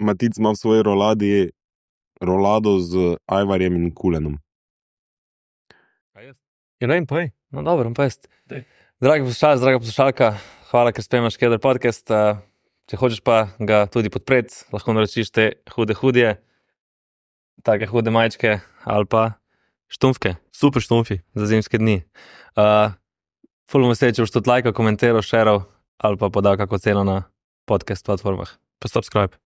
Matic ima v svoji rolado z Ajvarjem in Kulenom. Ja, ne vem, povej. No, dobro, pa jaz. Dragi poslušalci, draga poslušalka, hvala, ker spremljaš Keder podcast. Če hočeš pa ga tudi podpreti, lahko naročiš te hudje, take hude majčke ali pa štumfke. Super štumfi za zimske dni. Ful bom vesel, če boš tudi lajkal, komentiral, šeral ali pa podal kako ceno na podcast platformah. Pa subscribe.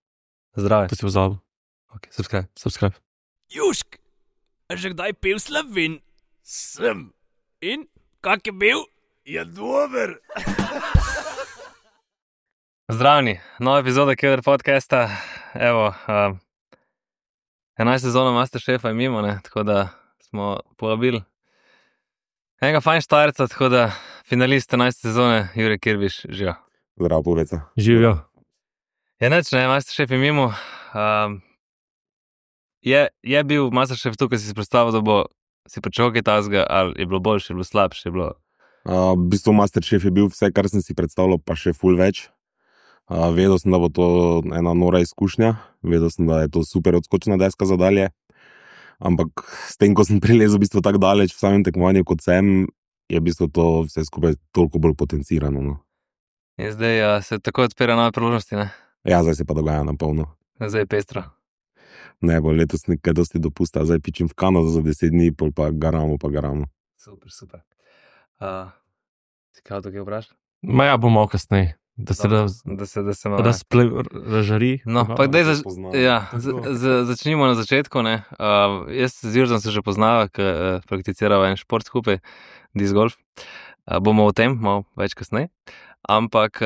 Zdravi. Pa si pozabil. Ok, subscribe. Jušk, a že kdaj pil Slovin? Sem. In, kak je bil? Je dober. Zdravni, nova epizoda Keder podcasta. Evo, 11 sezona Masterchefa je mimo, ne? Tako da smo povabili enega fajn štajerca, tako da finalist 11 sezone Jure Kirbiš, živa. Zdravo, Puveca. Živijo. Ja, neč, ne, Masterchef je mimo. Je bil Masterchef tukaj, si predstavil, da bo si pričakal kaj tazga, ali je bilo boljše, je bilo slabše, je bilo... V bistvu Masterchef je bil vse, kar sem si predstavljal, pa še ful več. Vedel sem, da bo to ena nora izkušnja, vedel sem, da je to super odskočna deska za dalje, ampak s tem, ko sem prilezel v bistvu tako daleč v samem tekmovanju, kot sem, je v bistvu to vse skupaj toliko bolj potencirano. No. In zdaj se tako odpira nove priložnosti, ne? Ja, zdaj se pa dogaja na polno. Zdaj je pestro. Ne bo letos nekaj dosti dopusta, zdaj pičim v Kanado za 10 dni, pol pa garamo. Super. Si kaj tukaj vprašal? Ma ja, bom malo kasneje. Da se malo... razžari. No, pa daj začnimo na začetku, ne. Jaz z Jurzom se že poznava, ker prakticirava en šport skupaj, disc golf. Bomo o tem malo več kasneje. Ampak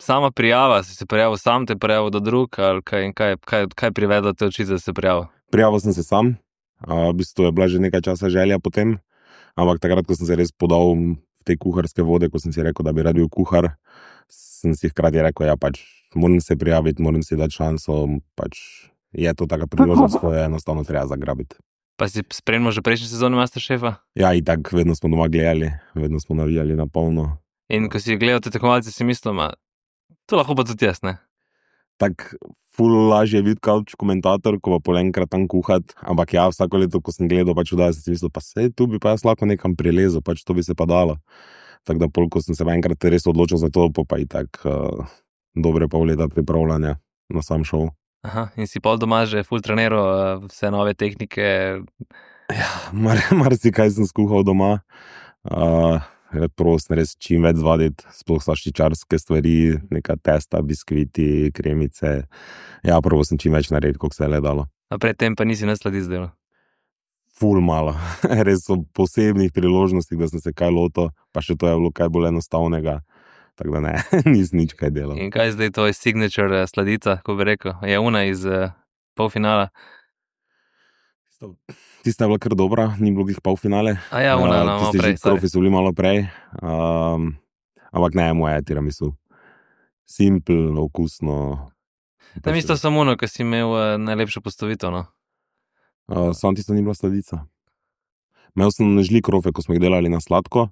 sama prijava, si se prijavil sam, te prijavil do drug, ali kaj privedlo te oči, da se prijavil? Prijavil sem se sam, v bistvu je bila že nekaj časa želja potem, ampak takrat, ko sem se res podal v te kuharske vode, ko sem si rekel, da bi rad bil kuhar, sem si hkrati rekel, ja, pač moram se prijaviti, moram si dati šanso, pač je to taka priložnost, ko je enostavno treba zagrabiti. Pa si spremljal že prejšnji sezoni Masterchefa? Ja, itak, vedno smo doma gledali, vedno smo navijali na polno. In ko si gledal te tekmovalce, si mislil, to lahko pa tudi jaz, ne? Tak ful lažje je biti couch komentator, ko pa pol enkrat tam kuhat, ampak ja, vsako leto, ko sem gledal, pač vdaj, sem si mislil, pa sej, tu bi pa jaz lahko nekam prilezel, pač to bi se pa dalo. Tako da pol, ko sem se pa enkrat res odločil za to, pa itak dobre pol leta pripravljanja na sam šov. Aha, in si pol doma že ful treniral vse nove tehnike? Ja, marsikaj sem skuhal doma. Prosim res čim več zvaditi, sploh slaščičarske stvari, neka testa, biskviti, kremice. Ja, prvo sem čim več narediti, koliko se je le dalo. A predtem pa nisi nasladic delal? Ful malo. Res so posebnih priložnosti, da sem se kaj lotil, pa še to je bilo kaj bolj enostavnega. Tako da ne, nisem nič kaj delal. In kaj zdaj to je signature sladica, ko bi rekel? Je una iz polfinala? Tista je bila kar dobra, ni bilo glih polfinale. A ja, una, malo prej. Tisti so bili malo prej. Ampak ne, moja je tiramisu. Simple, okusno. Tam isto samo ono, ko si imel najlepšo postavitev, no? Sam tisto ni bila sladica. Imel sem žli krofe, ko smo jih delali na sladko.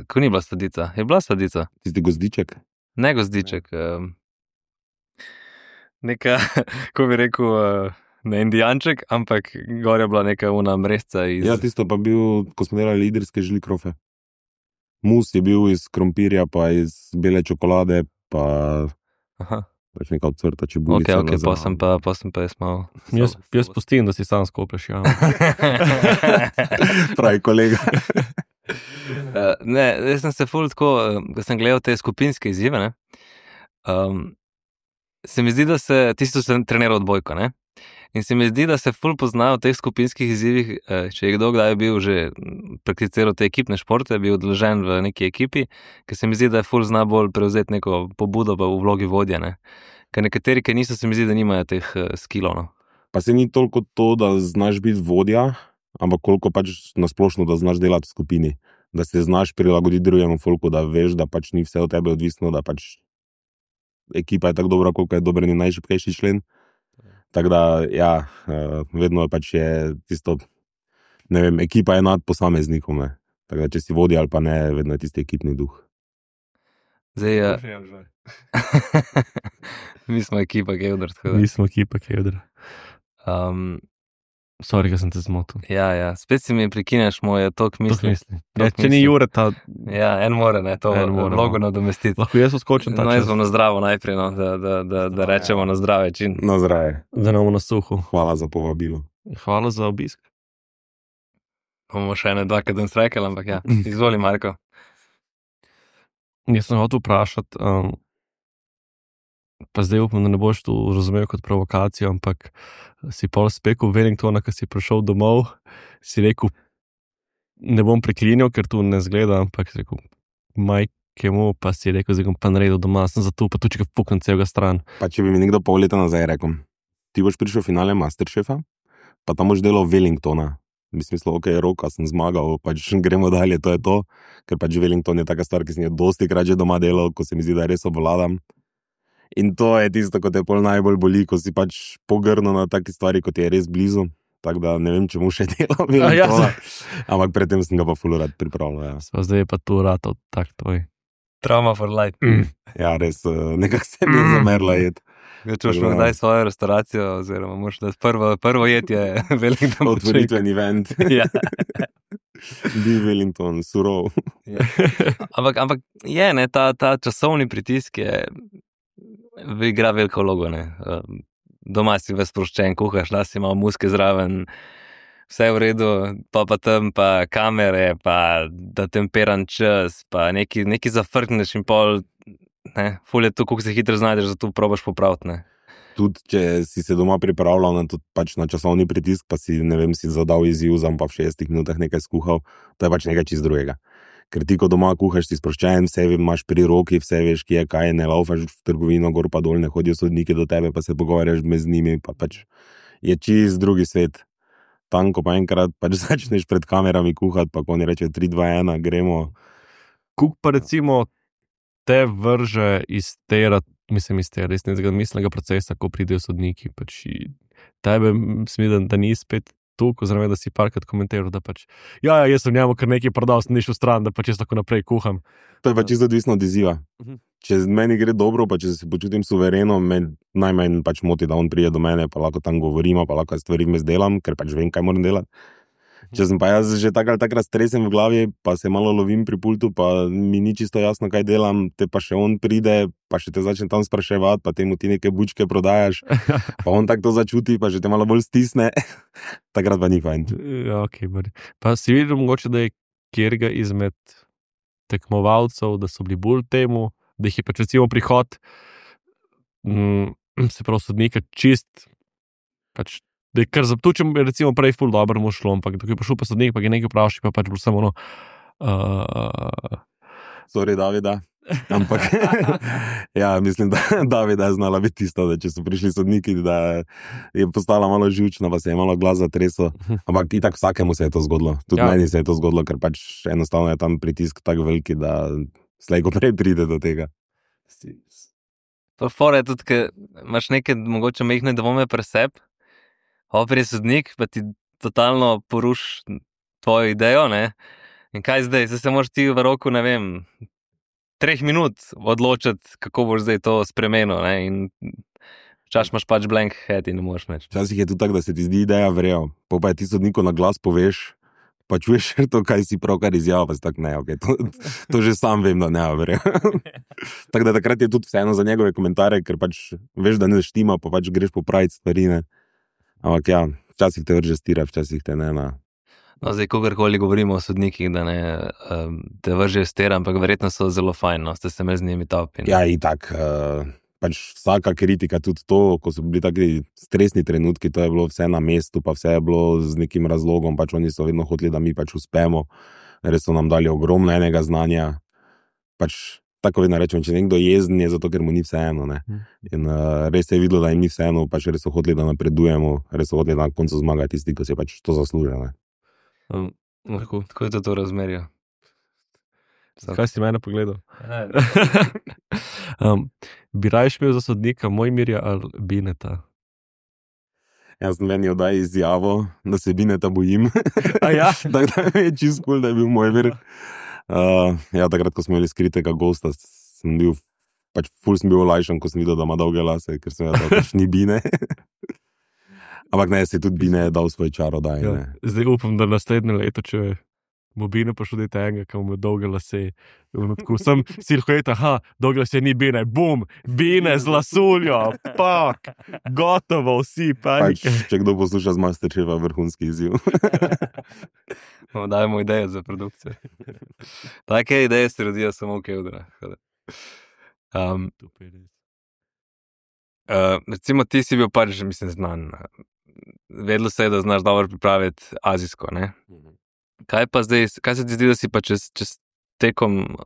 Ko ni bila sladica? Je bila sladica? Tisti gozdiček? Ne gozdiček. Neka, ko bi rekel, ne indijanček, ampak gor je bila neka una mresca iz... Ja, tisto pa bil, ko smo delali idrske žli krofe. Mus je bil iz krompirja, pa iz bele čokolade, pa... Aha. Pač neka odcvrta čebulica. Ok, pa sem pa jaz malo... Jaz pustim, da si sam skoplješ, ja. Pravi kolega. Ne, jaz sem se ful tako, ko sem gledal te skupinske izzive, ne, se mi zdi, da ti si treniral odbojko, ne, in se mi zdi, da se ful poznajo v teh skupinskih izzivih, če je kdo kdaj bil že prakticiral te ekipne športe, bil odložen v neki ekipi, ker se mi zdi, da je ful zna bolj prevzeti neko pobudo pa v vlogi vodja, ne, ker nekateri, ki niso, se mi zdi, da nimajo teh skillov, no. Pa se ni toliko to, da znaš biti vodja, ampak koliko pač nasplošno, da znaš delati v skupini, da se znaš prilagoditi drugemu folku, da veš, da pač ni vse od tebe odvisno, da pač ekipa je tako dobra, koliko je dober in najšibkejši člen. Tako da, ja, vedno je pač tisto, ne vem, ekipa je nad posameznikom, ne. Tako da, če si vodja ali pa ne, vedno je tisti ekipni duh. Zdaj, Mi smo ekipa Gevdr, tako da. Nismo ekipa Kevdra. Sorry, da sem te zmotil. Ja, spet si mi prekineš moje tok misli. Ja, če ni Jureta, Ja, en more, ne, to En more, vlogo nadomestiti. lahko jaz skočim ta No, jaz čas, bom na zdravo najprej, no, da rečemo na zdrave čin. Na zdravje. da ne bomo na suhu. Hvala za povabilo. Hvala za obisk. Bomo še ene dva, kadem srekel, ampak ja. Izvoli, Marko. Jaz sem hotel vprašati, pa zdaj upam, da ne boš to razumel kot provokacijo, ampak si pol spekel Wellingtona, ko si prišel domov, si rekel, ne bom preklinjal, ker tu ne zgleda, ampak si rekel, majkemu, pa si rekel, zdaj bom pa naredil doma, sem zato pa tu, če ga puknem celega stran. Pa če bi mi nekdo pol leta nazaj rekel, ti boš prišel v finale Masterchefa, pa tam boš delal Wellingtona. Bi si mislil, ok, roka, sem zmagal, pač gremo dalje, to je to, ker pač Wellington je taka stvar, ki sem jo dosti krat že doma delal, ko se mi zdi, da res obvladam. In to je tisto, ko te pol najbolj boli, ko si pač pogrnil na taki stvari, kot je res blizu. Tako da ne vem, če mu še delal Wellingtona, ampak predtem sem ga pa ful rad pripravljal. Ja. Pa zdaj je pa tu ratov tak tvoj. Trauma for life. Ja, res, nekako se mi je zamerla jed. Čuš pa kdaj svojo restauracijo, oziroma moš da prvo jed je Wellington. Otvoritveni event. Ja. Bi Wellington, surov. Ja. Ampak je, ne, ta časovni pritisk igra veliko vlogo, ne. Doma si ves sproščen, kuhaš, da si malo muske zraven, vse je v redu, pa tam pa kamere, pa da temperan čas, pa neki zafrkneš in pol, ne, ful je tu, koliko se hitro znajdeš, zato probaš popraviti, ne. Tudi, če si se doma pripravljal na, pač na časovni pritisk, pa si, ne vem, si zadal izziv, pa v 60 minutah nekaj skuhal, to je pač nekaj čist drugega. Ker ti, ko doma kuhaš, si sproščen, vse imaš pri roki, vse veš, kje je kaj, ne laufaš v trgovino, gor pa dol, ne hodijo sodniki do tebe, pa se pogovarjaš med njimi, pa pač je čist drugi svet. Tam, ko pa enkrat pač začneš pred kamerami kuhati, pa ko oni reče 3, 2, 1, gremo. Kuk pa recimo te vrže iz tega resnega miselnega procesa, ko pridejo sodniki, pač tebe mislim, da ni spet tukaj, oziroma da si parkrat komentiral, da pač jaz sem njemu kar nekaj prodal, sem nišel stran, da pač jaz tako naprej kuham. To je pač čisto odvisno od izziva. Če meni gre dobro, pa če se počutim suvereno, me najmanj pač moti, da on prije do mene, pa lahko tam govorimo, pa lahko stvari vmes delam, ker pač vem, kaj moram delati. Če sem pa jaz že tak ali takrat stresem v glavi, pa se malo lovim pri pultu, pa mi ni čisto jasno, kaj delam, te pa še on pride, pa še te začne tam spraševati, pa temu ti neke bučke prodajaš, pa on tako to začuti, pa že te malo bolj stisne, takrat pa ni fajn. Ja, ok, bari. Pa si videl mogoče, da je kjerga izmed tekmovalcev, da so bili bolj temu, da jih je pač recimo prihod, se pravi sodnika čist, pač da je kar zaptučem, recimo prej ful dobro mu šlo, ampak da je prišel pa sodnik, pa je nekaj vprašal, pa pač bilo samo ono... Sorry, Davida. Ampak, ja, mislim, da Davida je znala biti tista, da če so prišli sodniki, da je postala malo živčna, pa se je malo glas zatresel, ampak itak vsakemu se je to zgodilo. Tudi meni se je to zgodilo, ker pač enostavno je tam pritisk tak veliki, da slej ko prej pride do tega. Pa fora je tudi, ker imaš neke mogoče mehne dvome pri sebi, prije sodnik, pa ti totalno poruš tvojo idejo, ne? In kaj zdaj? Se moraš ti v roku, ne vem, 3 minut odločiti, kako boš zdaj to spremenil, ne? In včasih imaš pač blank head in ne moreš več. Včasih je tudi tako, da se ti zdi ideja vrel, pa je ti sodniku na glas poveš, pa čuješ to, kaj si pravkar izjavil, pa si tako, ne, ok, to že sam vem, da ne vrel. Tako da takrat je tudi vseeno za njegove komentarje, ker pač veš, da ne štima, pa pač greš popraviti stvari, ne. Ampak ja, včasih te vrže stira, včasih te ne. No, zdaj, kogarkoli govorimo o sodnikih, da ne te vrže stira, ampak verjetno so zelo fajn, no, ste se med z njimi topi. Ja, itak, pač vsaka kritika, tudi to, ko so bili taki stresni trenutki, to je bilo vse na mestu, pa vse je bilo z nekim razlogom, pač oni so vedno hoteli, da mi pač uspemo, res so nam dali ogromno enega znanja, pač tako vedno rečem, če nekdo jezen je zato, ker mu ni vseeno, ne. In res se je videlo, da jim ni vseeno, pač res so hoteli, da napredujemo, res so hoteli na koncu zmagati tisti, ki si pač to zaslužijo, ne. Tako je to razmerje. Kaj si mene pogledal? Bi rajš imel za sodnika Mojmirja ali Bineta? Jaz sem meni oddaj izjavo, da se Bineta bojim. A ja? Tako da mi je čist cool, da je bil Mojmir. Ja, takrat, ko smo imeli skritega gosta, sem bil pač ful sem bil olajšan, ko sem videl, da ima dolge lase, ker sem vedel, da pač ni Bine. Ampak ne, si tudi Bine dal svoj čarodaj. Ja. Ne. Zdaj upam, da naslednje leto, če bo Bine prišel do tega, ki ima dolge lase. Tako sem si rekel, dolge lase ni Bine, bum, Bine z lasuljo, pak, gotovo, vsi, Pač, panike. če kdo posluša z Masterchefa, vrhunski izziv. Dajmo ideje za produkcijo. Take ideje se rodijo samo v Kevdrah. Recimo, ti si bil pač, mislim, znan. Vedelo se je, da znaš dobro pripraviti azijsko, ne? Kaj pa zdaj, kaj se ti zdi, da si pa čez tekom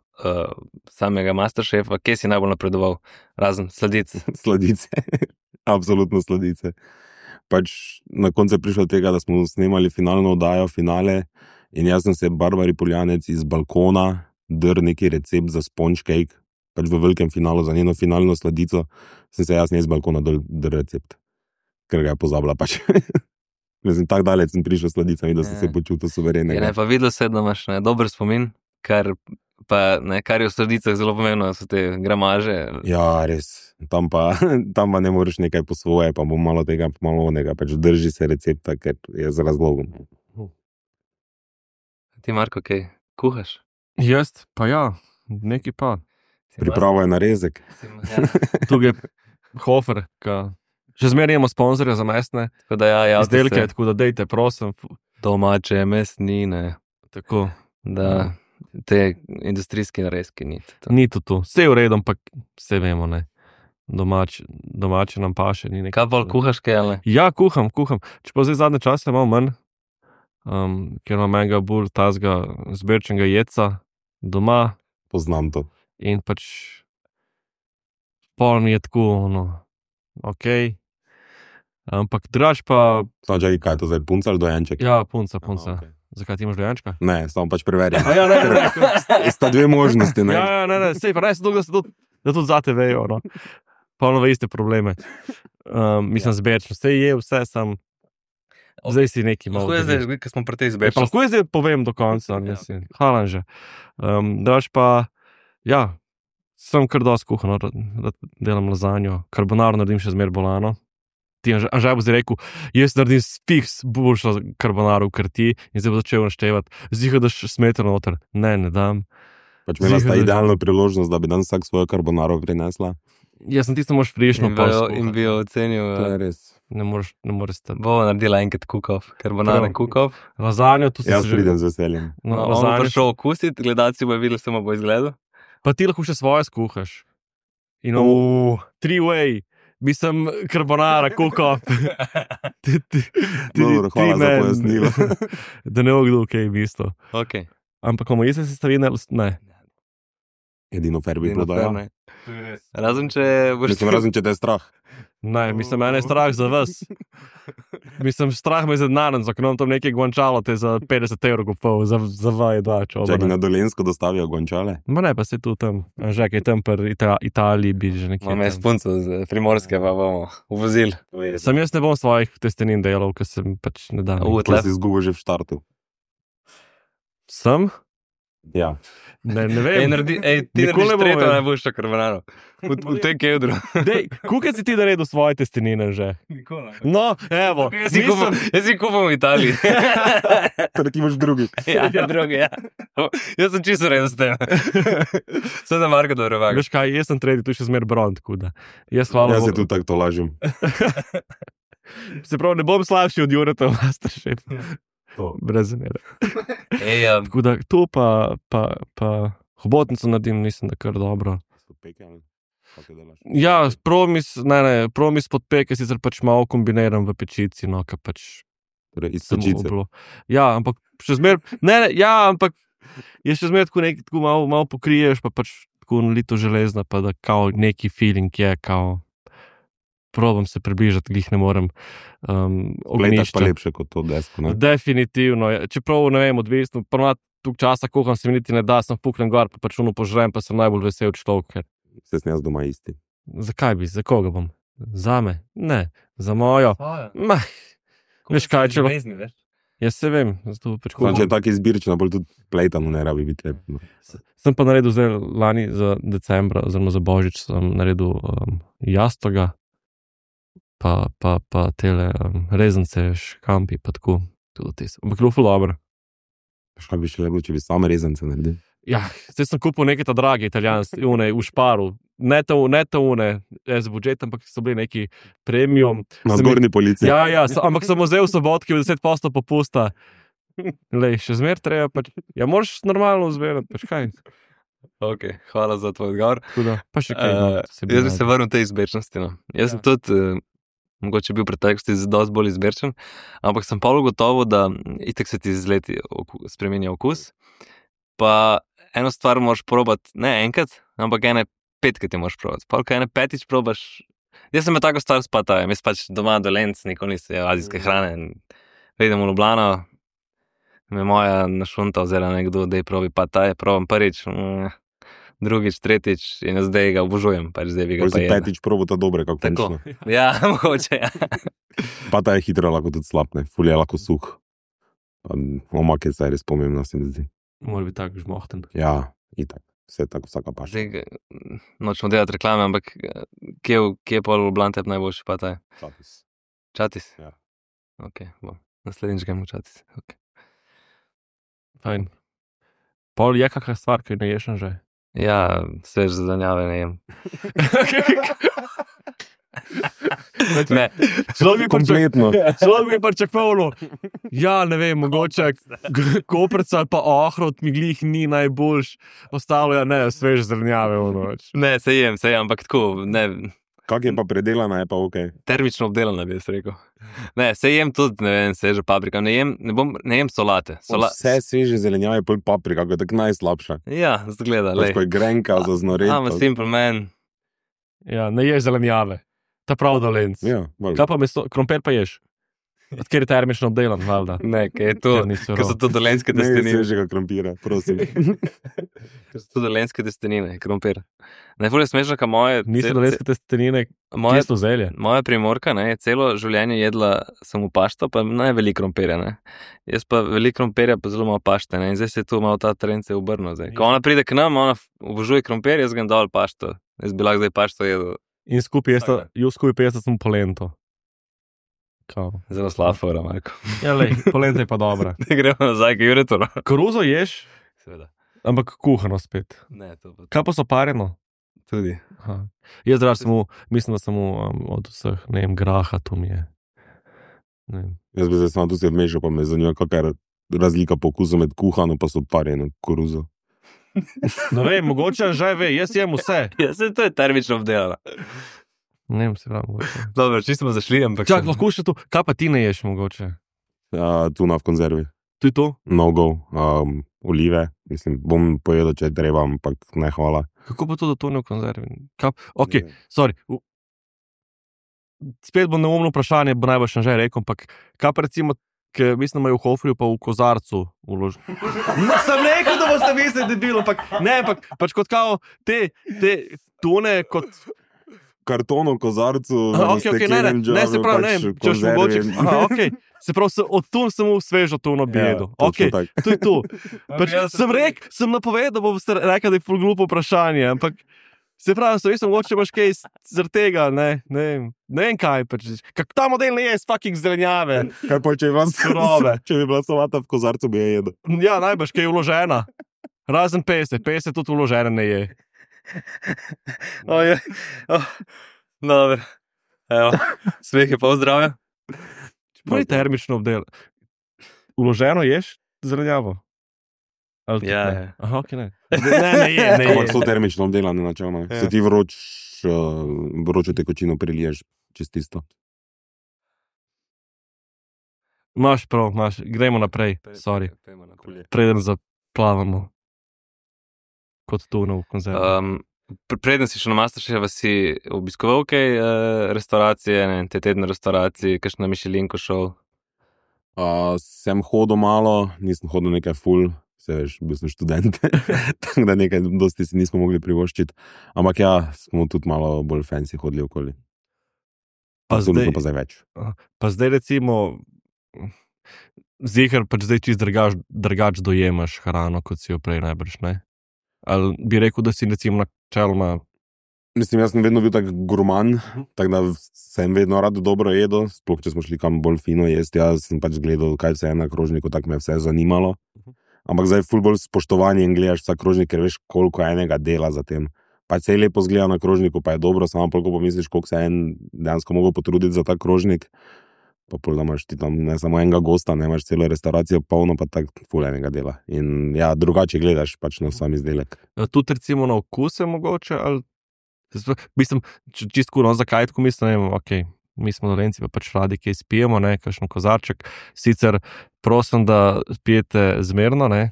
samega Masterchefa, kje si najbolj napredoval, razen sladic? Sladice, absolutno sladice. Pač na koncu je prišlo do tega, da smo snemali finalno oddajo, finale, in jaz sem se Barbari Poljanec iz balkona drl neki recept za sponge cake, pač v velikem finalu, za njeno finalno sladico, sem se jaz ne iz balkona drl recept, ker ga je pozabila pač. Mislim, tako daleč sem prišel s sladicami, da sem se počutil suverenega. Pa videl se, da imaš dober spomin, kar je v sladicah zelo pomembno, so te gramaže. Ja, res. Tam pa ne moreš nekaj po svoje, pa bo malo tega, malo onega, pač drži se recepta, ker je z razlogom. Ti, Marko, kaj kuhaš? Jaz, pa ja, neki pa. Pripravo je narezek. Tukaj je Hofer, ki še zmeraj imamo sponzorja za mesne izdelke, tako da dejte, prosim. Domače mesnine. Tako. Da, te industrijske narezke ni. Ni to. Vse je v redu, ampak vse vemo, ne. Domače nam paše. Kaj bolj kuhaš, kaj ali? Ja, kuham. Čeprav zdaj zadnje čase malo manj, ker imam enega bolj tazga zberčenega jedca doma. Poznam to. In pač pol mi je tako, okej. Ampak drugač pa... Samo čakaj, kaj je to zdaj, punca ali dojenček? Ja, punca. Okay. Zakaj ti imaš dojenčka? Ne, samo pač preverjam. Ja, ne. Sta dve možnosti, ne? Ja, ne, sej pa ne se dolgo, da tudi zate vejo, no. Polno iste probleme. Mislim, zberčno. Sej je vse, sam... Zdaj si neki malo... Lahko je zdaj, ker smo pri tej zberčnosti. Lahko je zdaj povem do konca, mislim. Hvala že. Drugač pa, ja, sem kar dosti kuhan, da delam lazanjo. Karbonaro naredim še zmer bolano. Ti Anžaj bo zdaj rekel, jaz naredim fiks boljšo karbonaro v krti in zdaj bo začel naštevati. Zdiha, da smetano noter. Ne dam. Pač imela sta idealno priložnost, da bi dan vsak svojo karbonaro prinesla. Jaz sem tisto mož frišno in bi jo ocenil. To je res. Ne moreš stati. Bo naredila enkrat kukov, karbonara kukov. Lazanjo, tu si jaz pridem z veseljem. On bo prišel okusiti, gledalci bo videli, samo bo izgledal. Pa ti lahko še svoje skuhaš. In three-way. Mislim, karbonara, kukov. Dobro, hvala za pojasnilo. Da ne bo kdo kaj mislil. Okay. Ampak komu jaz se stavine, ne. Edino fair bi bilo, da ja. Razen če boš... Razen če te je strah. Ne, mislim, mene je strah za vas. Mislim, strah me je zadnanen, za nam tam nekaj guančalo te za 50 € kupov, za vaj, dva čoba. Čakaj, na Dolensko dostavijo guančale? Ma ne, pa se tu tam, že kaj tam pri Italiji bi že nekaj. Imam jaz punco z Primorske, pa bomo uvozili. Sam jaz ne bom svojih testenin delal, ker sem pač ne dam. Pa si izgubil že v štartu. Sem? Ja. Ne vem. Ti narediš tretjo najboljšo karbonaro. V tem Kevdru. Kukaj si ti naredil svoje testenine že? Nikola. No, evo. Jaz si kupam v Italiji. Torej ti imaš drugi. Ja, drugi, ja. Jaz sem čisto res s tem. Sem da Marko dobro vaga. Veš kaj, jaz sem tretji, tu še zmer bron, tako da. Jaz se tudi tako to lažim. Se pravi, ne bom slabši od Jureta v Masterchef. Brez zamere. Tako da to pa hobotnico naredim, mislim, da kar dobro. Ja, promis pod peke, sicer pač malo kombiniram v pečici, no, ka pač... Torej, iz pečice. Ja, ampak še zmer... ampak je še zmer tako malo pokriješ, pa pač tako nalito železna, pa da kao neki feeling je, kao... Probam se približati, glih ne morem ognišča. Gletaš pa lepše kot to desko, ne? Definitivno. Čeprav, ne vem, odvisno, ponovno tuk časa kuham se mi niti ne da, sem fuknem gor, pa pač požrem, pa sem najbolj vesel človek. Se sem jaz doma isti. Zakaj bi? Za koga bom? Zame? Ne. Za mojo? Veš kaj, če... Jaz se vem, zato pač Znam, če je tako izbirčno, bolj tudi plejtano ne rabi biti lep. No. Sem pa naredil zdaj lani za decembra, oziroma za Božič, sem naredil jastoga, pa tele rezance, škampi, pa tako. Ampak bilo ful dobro. Škaj bi še lepo, če bi same rezance naredil? Ja, zdaj sem kupil neke ta drage italijanske, v Šparu. Ne ta une, z budžetom, ampak so bili neki premium. Na zgornji polici. Ja, ampak sem vzel v sobotki 10% popusta. Lej, še zmer treba, pač, ja, moraš normalno vzmerati, pač kaj. Ok, hvala za tvoj odgovor. Pa še kaj. Jaz bi se vrnil tej izbirčnosti. No. Jaz sem tudi, mogoče bil v preteklosti dosti bolj izbirčen, ampak sem pa gotovo, da itak se ti z leti spremenja okus. Pa eno stvar moraš probati, ne enkrat, ampak ene 5-krat je moraš probati. Pa ko ene 5-tič probaš, jaz sem me tako star s patajem, jaz pač doma dolenc, nikoli nisem jedel azijske hrane. Pridem v Ljubljano, me moja našunta vzela nekdo, da je probi pataj, probam prvič, drugič, tretjič in zdaj ga obožujem, pač zdaj bi ga pa jedel. 5-tič probata dobre, kako končno. Ja, mogoče, ja. Pataj je hitro, lahko tudi slabne, ful je lahko suh. Omak je zdaj res pomembno, se mi zdi. Mora biti tako žmohten. Ja, itak. Vse tako, vsaka paša. Zdaj, nočemo delati reklame, ampak kje je pol Ljubljana tebi najboljši pataj? Čatis? Ja. Ok, bo. Naslednjič gremo v Čatis. Okay. Fajn. Pol je kakšna stvar, ki ne ješ že? Ja, svež zelenjave ne jem. Ne, Kompletno. Človek bi pričakoval, ja, ne vem, mogoče koprca ali pa ohrot mi glih ni najboljš, ostalo je, ne, svež zelenjave v noč. Ne, se jem, ampak tako, ne. Kak je pa predelana, je pa ok. Termično obdelana, bi jaz rekel. Ne, se jem tudi, ne vem, svežo paprika, ne jem solate. Vse sveže zelenjave, pol paprika, ko je tako najslabša. Ja, zgleda, lej. Ko je grenka za znoret. I'm a simple man. Ja, ne ješ zelenjave. Ta prav dolenc. Ja, kaj pa meso, krompir pa ješ? Odkjer je termično obdelan, valjda. Ne, kaj je to, ko so to dolenjske testenine. Ne, svežega krompira, prosim. Ko so to dolenjske testenine, krompir. Najbolj je smešno, ka moje... Niso dolenjske testenine, čisto zelje. Moja primorka, ne, je celo življenje jedla samo pašto, pa ne veliko krompirja, ne. Jaz pa veliko krompirja, pa zelo malo pašte, ne. In zdaj se je tu malo ta trend se obrnil, zdaj. Ko ona pride k nam, ona obožuje krompir, jaz grem dol pašto. Jaz bi lahko zdaj pašto jedel. In skupaj sem polento. Kao. Zelo slaba fora, Marko. Ja, lej, polenta je pa dobra. Ne gremo nazaj, k Juretu. Koruzo ješ? Seveda. Ampak kuhano spet. Ne, to pa... Kaj pa so parjeno? Tudi. Aha. Jaz draž samo, mislim, da samo od vseh, ne vem, graha, to mi je. Ne vem. Jaz bi zdaj samo tu se vmešal, pa me zanima, kakaj je razlika po okusu med kuhano pa so parjeno koruzo. Ne vem, mogoče že ve, jaz jem vse. Ja, se to je termično obdelano. Ne vem, se pravi, mogoče. Dobro, čisto smo zašli, ampak... Čak, lahko še tu, kaj pa ti ne ješ mogoče? Tuna v konzervi. To je to? No go, olive, mislim, bom pojedel, če je treba, ampak ne hvala. Kako pa to, da tune v konzervi? Ok, sorry. Spet bo neumno vprašanje, bo najbolj že rekel, ampak kaj pa recimo, ker mislim, da imajo v Hofriju pa v kozarcu uložen. No, sem rekel, da boste mislili, da je bilo, ampak pač kot kao te tune, kot... Kartono, kozarcu, okay, ne, se pravi, ne, če še mogoče. Se pravi, od tun sem v svežo tuno bi jedel. Ok, to je to. Pač, sem napovedal, da bom rekel, da je ful glupo vprašanje, ampak se pravi, jaz sem mogoče imaš kaj zaradi tega, ne vem kaj, pač, kak ta model ne je s fucking zelenjave. Kaj pa, če bi bila solata v kozarcu, bi je jedel. Ja, najbrž, kaj je vložena. Razen pese tudi vložene ne je. Dobro, evo, smeh je pa zdravja. Pravi termično obdel. Uloženo ješ zelenjavo? Ja. Aha, ok, ne. Ne je. Ampak so termično obdelane načelno. Se ti vročo tekočino priliješ čez tisto. Imaš prav, gremo naprej, sorry. Preden zaplavamo. Kot tuno v konzervi. Preden si šel na Masterchefa, si obiskoval kaj restauracije, te tedne restauracije, kakšno na Michelinko šel? Sem hodil malo, nisem hodil nekaj ful, se veš, bil sem študent, tako da nekaj dosti si nismo mogli privoščiti. Ampak ja, smo tudi malo bolj fancy hodili okoli. Pa zdaj več. Pa zdaj recimo, Ziher pač zdaj čist drugač dojemaš hrano, kot si jo prej najbrž, ne? Ali bi rekel, da si recimo načeloma... Mislim, jaz sem vedno bil tak gurman, tako da sem vedno rad dobro jedel, sploh če smo šli kam bolj fino jesti, jaz sem pač gledal, kaj vse je na krožniku, tako me je vse zanimalo. Ampak zdaj ful bolj spoštovanje in gledaš vsak krožnik, ker veš, koliko enega dela za tem. Pač se je lepo zgleda na krožniku, pa je dobro, samo koliko pomisliš, koliko se je en dejansko mogel potruditi za ta krožnik, pa pol da imaš ti tam ne samo enega gosta, ne imaš celo restauracijo polno, pa tako ful enega dela. In ja, drugače gledaš pač na sam izdelek. Tudi recimo na okuse mogoče, ali... Mislim, čistko, no, zakaj tako mislim, ne vem, okej, mi smo Dolenci, pa pač radi kaj spijemo, ne, kakšen kozarček. Sicer prosim, da pijete zmerno, ne,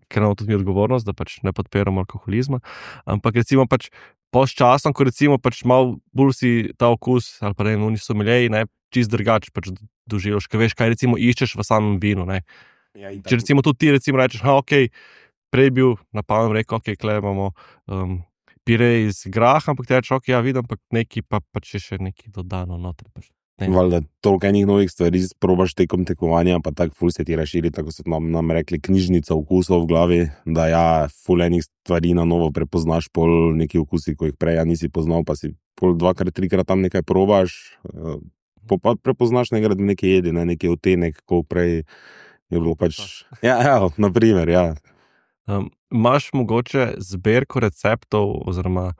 ker imamo tudi mi odgovornost, da pač ne podpiramo alkoholizma, ampak recimo pač časom, ko recimo pač malo bolj si ta okus, ali pa ne, oni so miljeji, ne, čist drugače pač doživljaš, ker veš, kaj recimo iščeš v samem vinu, ne. Ja, Če recimo tudi ti recimo rečeš, okej, prej bil na pamet rekel, okej, kle imamo pire iz graha, ampak ti rečeš, okej, ja, vidim, ampak neki pa pač je še neki dodano noter. Valjda, toliko enih novih stvari probaš tekom tekmovanja, pa tako ful se ti razširi, tako so nam rekli, knjižnica okusov v glavi, da ja, ful enih stvari na novo prepoznaš, pol neki okusi, ko jih prej nisi poznal, pa si pol 2-3 krat tam nekaj probaš, pa prepoznaš nekaj jedi, ne, neki otenek, ko prej je bilo pač... Ja, naprimer, ja. Imaš mogoče zbirko receptov, oziroma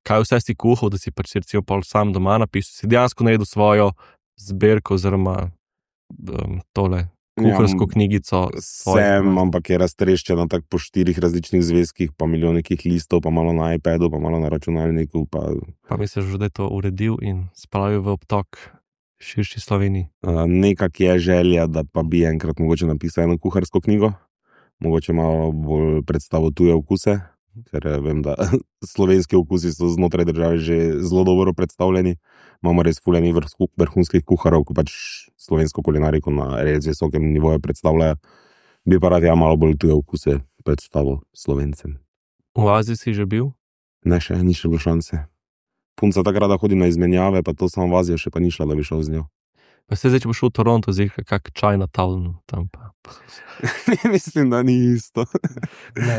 kaj vse si kuhal, da si pač recimo pol sam doma napisal, si dejansko naredil svojo zbirko, oziroma tole kuharsko knjigico? Sem, ampak je raztreščena tako po 4 različnih zvezkih, pa milijon nekih listov, pa malo na iPadu, pa malo na računalniku. Pa misliš, da je to uredil in spravil v obtok širši Sloveniji? Nekak je želja, da pa bi enkrat mogoče napisal eno kuharsko knjigo. Mogoče malo bolj predstavo tuje okuse, ker vem, da slovenski okusi so znotraj države že zelo dobro predstavljeni. Imamo res ful enih vrhunskih kuharov, ko pač slovensko kulinariko na res visokem nivoju predstavljajo. Bi pa rad ja malo bolj tuje okuse predstavil Slovencem. V Aziji si že bil? Ne, še ni še bilo šanse. Punca takrat hodi na izmenjave, pa to samo v Azijo še pa ni šla, da bi šel z njo. Pa se zdaj, če bo šel v Toronto, zdaj kak Chinatown tam pa. Mislim, da ni isto.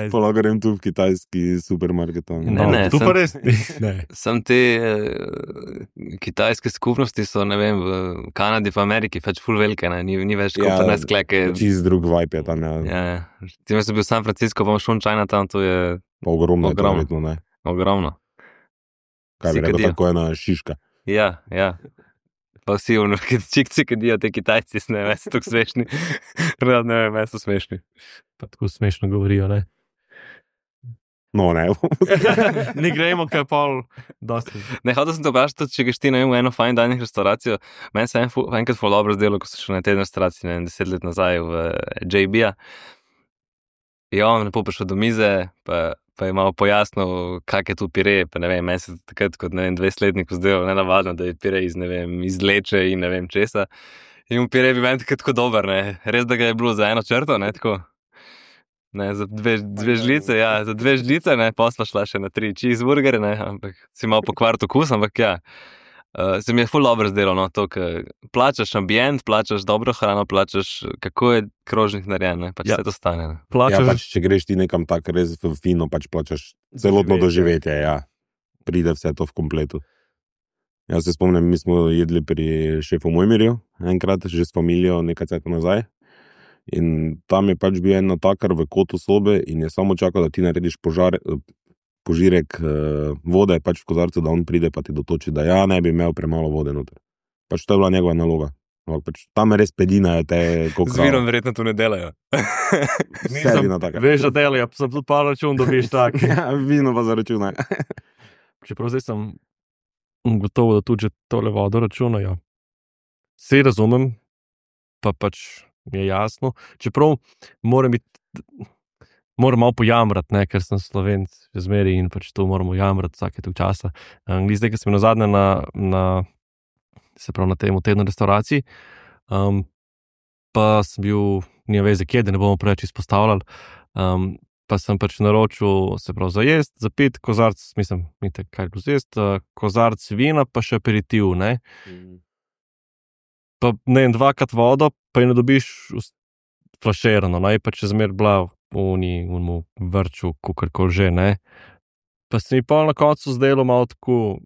Pola grem tu v kitajski supermarket. Ne, tu pa res ne. Sam te kitajske skupnosti so, ne vem, v Kanadi, v Ameriki, pač ful velike, ne, ni več kot 15 kleke. Čist drug vibe je tam, ja. Ja, tim sem bil v San Francisco, pa šel v Chinatown, to je... Pa ogromno. Ne? Ogromno. Kaj bi rekel, tako ena šiška. Ja. Pa vsi čikci, ki dijo te Kitajci, ne vem, so tako smešni. Rad ne vem, so smešni. Pa tako smešno govorijo, ne? No, ne. Ne gremo, kaj pol dosti. Ne, hotel sem te vprašati, če greš ti na eno fine dining restauracijo. Meni se enkrat ful dobro zdelo, ko sem šel na teden restauraciji, ne vem, 10 let nazaj v JB-a. Ja, on lepo prišel do mize, pa je malo pojasnil, kak je tu pire, pa ne vem, meni se takrat kot, ne vem, 20-letniku zdelo nenavadno, da je pire iz, ne vem, iz leče in ne vem česa. In pire bi meni takrat tako dober, ne, res da ga je bilo za eno črto, ne, tako. Ne, za dve žlice, ja, za 2 žlice, ne, pa sva šla še na 3 cheeseburgere, ne, ampak si malo pokvart okus, ampak ja. Se mi je ful dobro zdelo, no, to, ker plačaš ambient, plačaš dobro hrano, plačaš, kako je krožnik narejen, ne, pač vse to stane, ne. Ja, pač, če greš ti nekam tak res fino, pač plačaš celotno doživetje, ja. Pride vse to v kompletu. Jaz se spomnim, mi smo jedli pri šefu Mojmirju, enkrat, že s familijo, nekaj cajta nazaj. In tam je pač bil en natakar v kotu sobe in je samo čakal, da ti narediš požirek vode, pač v kozarcu, da on pride pa ti dotoči, da ja, ne bi imel premalo vode noter. Pač to je bila njegova naloga. Pač tam res pedinajo te kokra. Z vinom verjetno tu ne delajo. Veš, da delajo, sem tudi pa račun dobiš tak. Ja, vino pa za računaj. Čeprav zdaj sem gotovo, da tudi že tole vodo računajo. Sej razumem, pa pač mi je jasno. Čeprav moram malo pojamrati, ne, ker sem Slovenc že zmeri in pač to moramo jamrati vsake tog časa. Zdaj, ker sem nazadnje se pravi na tem tednu restauraciji, pa sem bil, nima veze kje, da ne bomo preveč izpostavljali, pa sem pač naročil, se pravi za jest, za pit, kozarc, mislim, kaj je bilo za jest, kozarc vina, pa še aperitiv, ne. Pa ne, 2krat vodo, pa je ne dobiš flaširano, no, je pa če zmer bila v unmu vrču, kakorkoli že, ne. Pa se mi pa na koncu zdelo malo tako,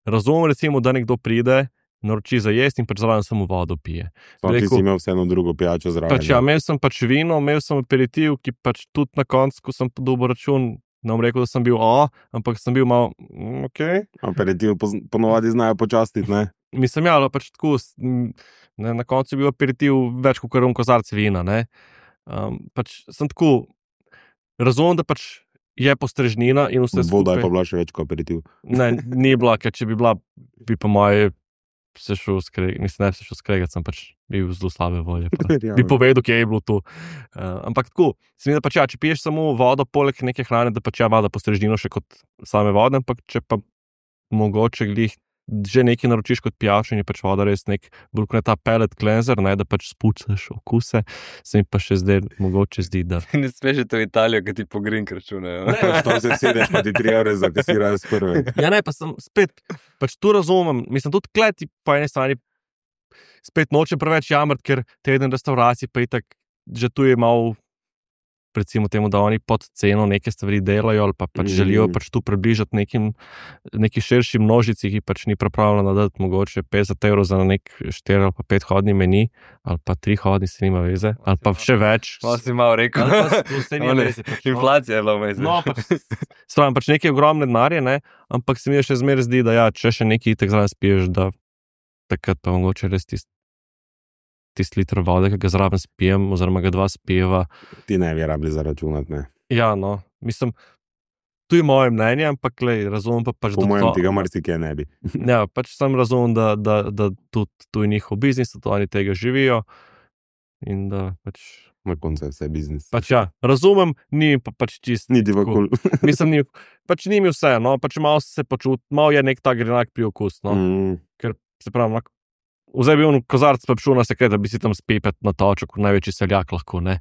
razumem recimo, da nekdo pride, naroči za jesti in pač zraven samo vodo pije. Ti si imel vseeno drugo pijačo zraven. Pač ja, imel sem pač vino, imel sem aperitiv, ki pač tudi na koncu, ko sem dobil račun, ne bom rekel, da sem bil ampak sem bil malo, okej. Aperitiv ponovadi znajo počastiti, ne? Mislim, ja, pač tako, na koncu je bil aperitiv več kot kozarc vina, ne. Pač sem tako, razumem, da pač je postrežnina in vse skupaj. Voda je pa bila še več kot aperitiv. Ne, ni bila, ker če bi bila, bi pa moje se šel skregati, mislim, ne se šel skregati, sem pač bil zelo slabe volje. Bi povedal, kje je bilo to. Ampak tako, se mi da pač ja, če piješ samo vodo poleg neke hrane, da pač ja, voda postrežnino še kot same vode, ampak če pa mogoče glih že nekaj naročiš kot pijačo in je pač voda res nek, bolj kot ta pellet cleanser, ne, da pač spucaš okuse, se mi pa še zdaj mogoče zdi, da... Ne smeš to v Italijo, ki ti po grink računajo. Tam se sedeš, pa ti 3 evre zakasirajo s prve. Ja, ne, pa sem spet, pač tu razumem, mislim, tudi kleti po eni strani spet nočem preveč jamrati, ker teden restauracij pa itak, že tu je malo, recimo temu, da oni pod ceno neke stvari delajo ali pa pač želijo pač tu približati neki širši množici, ki pač ni pripravljena dati mogoče 50 evrov za nek 4 ali pa 5 hodni meni, ali pa 3 hodni, se nima veze, ali pa še več. Pa si malo rekel. Inflacija je bila vmez. No, stvarno, pač neke ogromne denarje, ne, ampak se mi še zmeraj zdi, da ja, če še nekaj itak zraven spiješ, da takrat pa mogoče res tisti liter vode, ki ga zraven spijem, oziroma ga 2 spijeva. Ti ne bi rabili zaračunati, ne? Ja, no, mislim, tu je moje mnenje, ampak lej, razumem pa pač... Po mojem tega marsikaj ne bi. Ja, pač sem razumem, da tudi tu je njihov biznis, da oni tega živijo in da pač... Na koncu je vse biznis. Pač ja, razumem, ni pa pač čist... Niti v kul. Mislim, pač ni mi vse, no, pač malo se počut, malo je nek ta grenak priokus, no, ker se pravim, vzaj bi on kozarc pa šel na sekret, da bi si tam spepet na točo, kot največji seljak lahko, ne.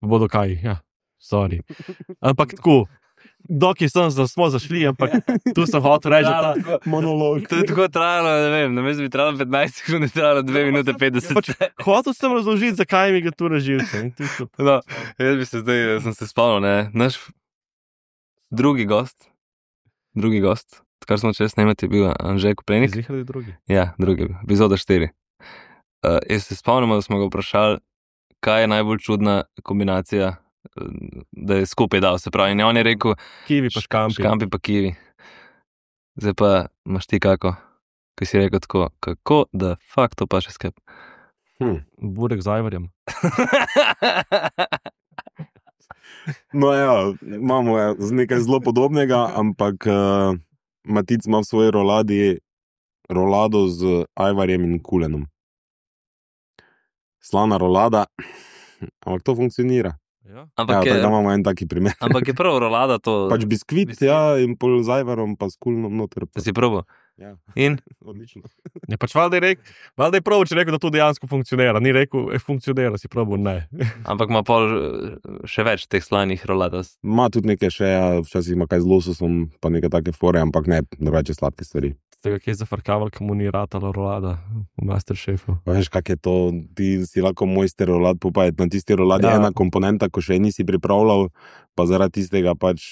Bodo kaj, ja, sorry. Ampak tako, dokaj smo zašli, ampak tu sem hotel reči, da ta monolog. To je tako trajalo, ne vem, namesto bi trajalo 15 sekund, je trajalo 2 minute 50. Pač, hotel sem razložiti, zakaj mi ga tu reživce. No, jaz bi se zdaj, sem se spomnil, ne, naš drugi gost, kar smo čez snemati, je bil Anže Koprenik. Zihali drugi? Ja, drugi, epizoda 4. Jaz se spomnimo, da smo ga vprašali, kaj je najbolj čudna kombinacija, da je skupaj dal, se pravi, in on je rekel kivi pa škampi. Škampi pa kivi. Zdaj pa imaš ti kako, ki si rekel tako, kako da fakt to pa še skep. Burek z ajvarjem. No ja, imamo nekaj zelo podobnega, ampak Matic ima v svoji rolado z ajvarjem in kulenom. Slana rolada, ampak to funkcionira. Ja. Ampak ja, tako imamo en taki primer. Ampak je prvo rolada to... Pač biskvit, ja, in pol z ajvarom, pa s kulenom noter. Da si probo. Ja. In? Odlično. Ne, pač valjda je prav, če rekel, da to dejansko funkcionira. Ni rekel, funkcionira, si probo, ne. Ampak ima pol še več teh slanih roladas. Ma tudi nekaj še, ja, včasih ima kaj z lososom, pa neke take fore, ampak ne, drugače sladke stvari. Z tega, ki je zafrkaval, komu ni ratala rolada v Masterchefu. Veš, kak je to, ti si lahko mojster rolad popajati, na tisti roladi je ena komponenta, ko še nisi pripravljal, pa zaradi tistega pač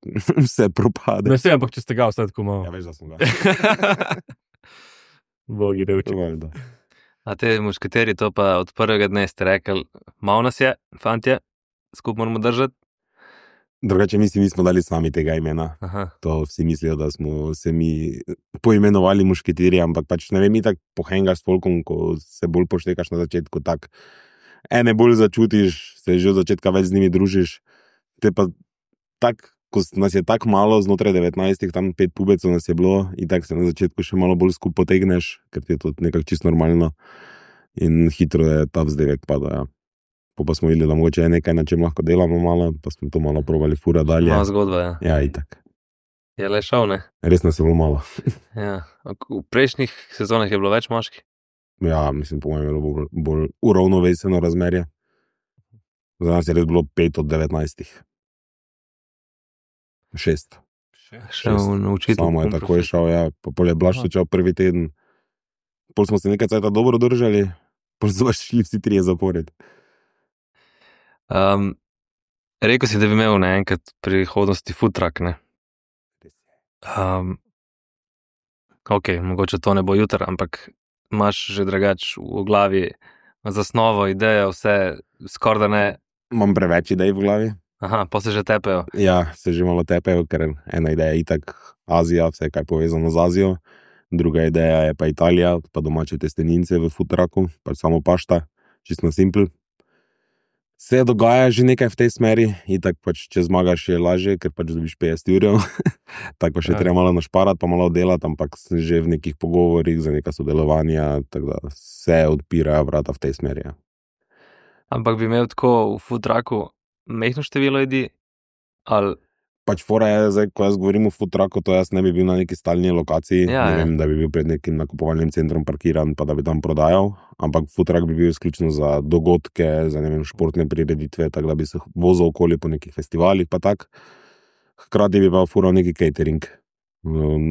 vse propade. Ne vse, ampak če ste ga vse tako malo. Ja, veš, da smo ga. Bogi revči. A te mušketeri to pa od prvega dne ste rekli, malo nas je, fantje, skupaj moramo držati. Drugače mi si nismo dali sami tega imena. Aha. To vsi mislijo, da smo se mi poimenovali mušketiri, ampak pač ne vem, mi tako pohengaš s folkom, ko se bolj poštekaš na začetku, tak ene bolj začutiš, se že od začetka več z njimi družiš, te pa tak, ko nas je tako malo, znotraj 19, tam 5 pubecov nas je bilo, in tako se na začetku še malo bolj skup potegneš, ker ti je to nekako čisto normalno in hitro je ta vzdevek pada, ja. Pa smo videli, da mogoče je nekaj, na čem lahko delamo malo, pa smo to malo probali fura dalje. Malo zgodba, ja. Ja, itak. Je le šel, ne? Res nas je bilo malo. Ja. V prejšnjih sezonah je bilo več moških? Ja, mislim, po mojem je bilo bolj uravnoveseno razmerje. Za nas je res bilo 5 od 19. 6. Šel naučiti. Samo je tako je šel, ja. Pa pol je Blaž začel prvi teden. Pol smo se nekaj cajta dobro držali, pol so šli vsi 3 zapored. Rekel si, da bi imel enkrat v prihodnosti food truck, ne? Ok, mogoče to ne bo jutri, ampak imaš že drugač v glavi zasnovo, idejo, vse skoraj da ne. Imam preveč idej v glavi. Aha, pa se že tepejo. Ja, se že malo tepejo, ker ena ideja je itak Azija, vse kaj povezano z Azijo. Druga ideja je pa Italija, pa domače testenince v food trucku, pač samo pašta, čisto simpel. Se dogaja že nekaj v tej smeri, itak pač če zmagaš je lažje, ker pač dobiš 50 jurjev. Tako pa še treba malo našparati, pa malo delati, ampak sem že v nekih pogovorih za neka sodelovanja, tako da se odpirajo vrata v tej smeri. Ja. Ampak bi imel tako v food trucku mehno število ljudi? Ali Pač fora je, zdaj, ko jaz govorim o food trucku, to jaz ne bi bil na neki stalni lokaciji, Ja, ne ja. vem, da bi bil pred nekim nakupovalnim centrom parkiran, pa da bi tam prodajal, ampak food truck bi bil izključno za dogodke, za ne vem, športne prireditve, tako da bi se vozil okoli po nekih festivalih, pa tak. Hkrati bi pa fural neki catering.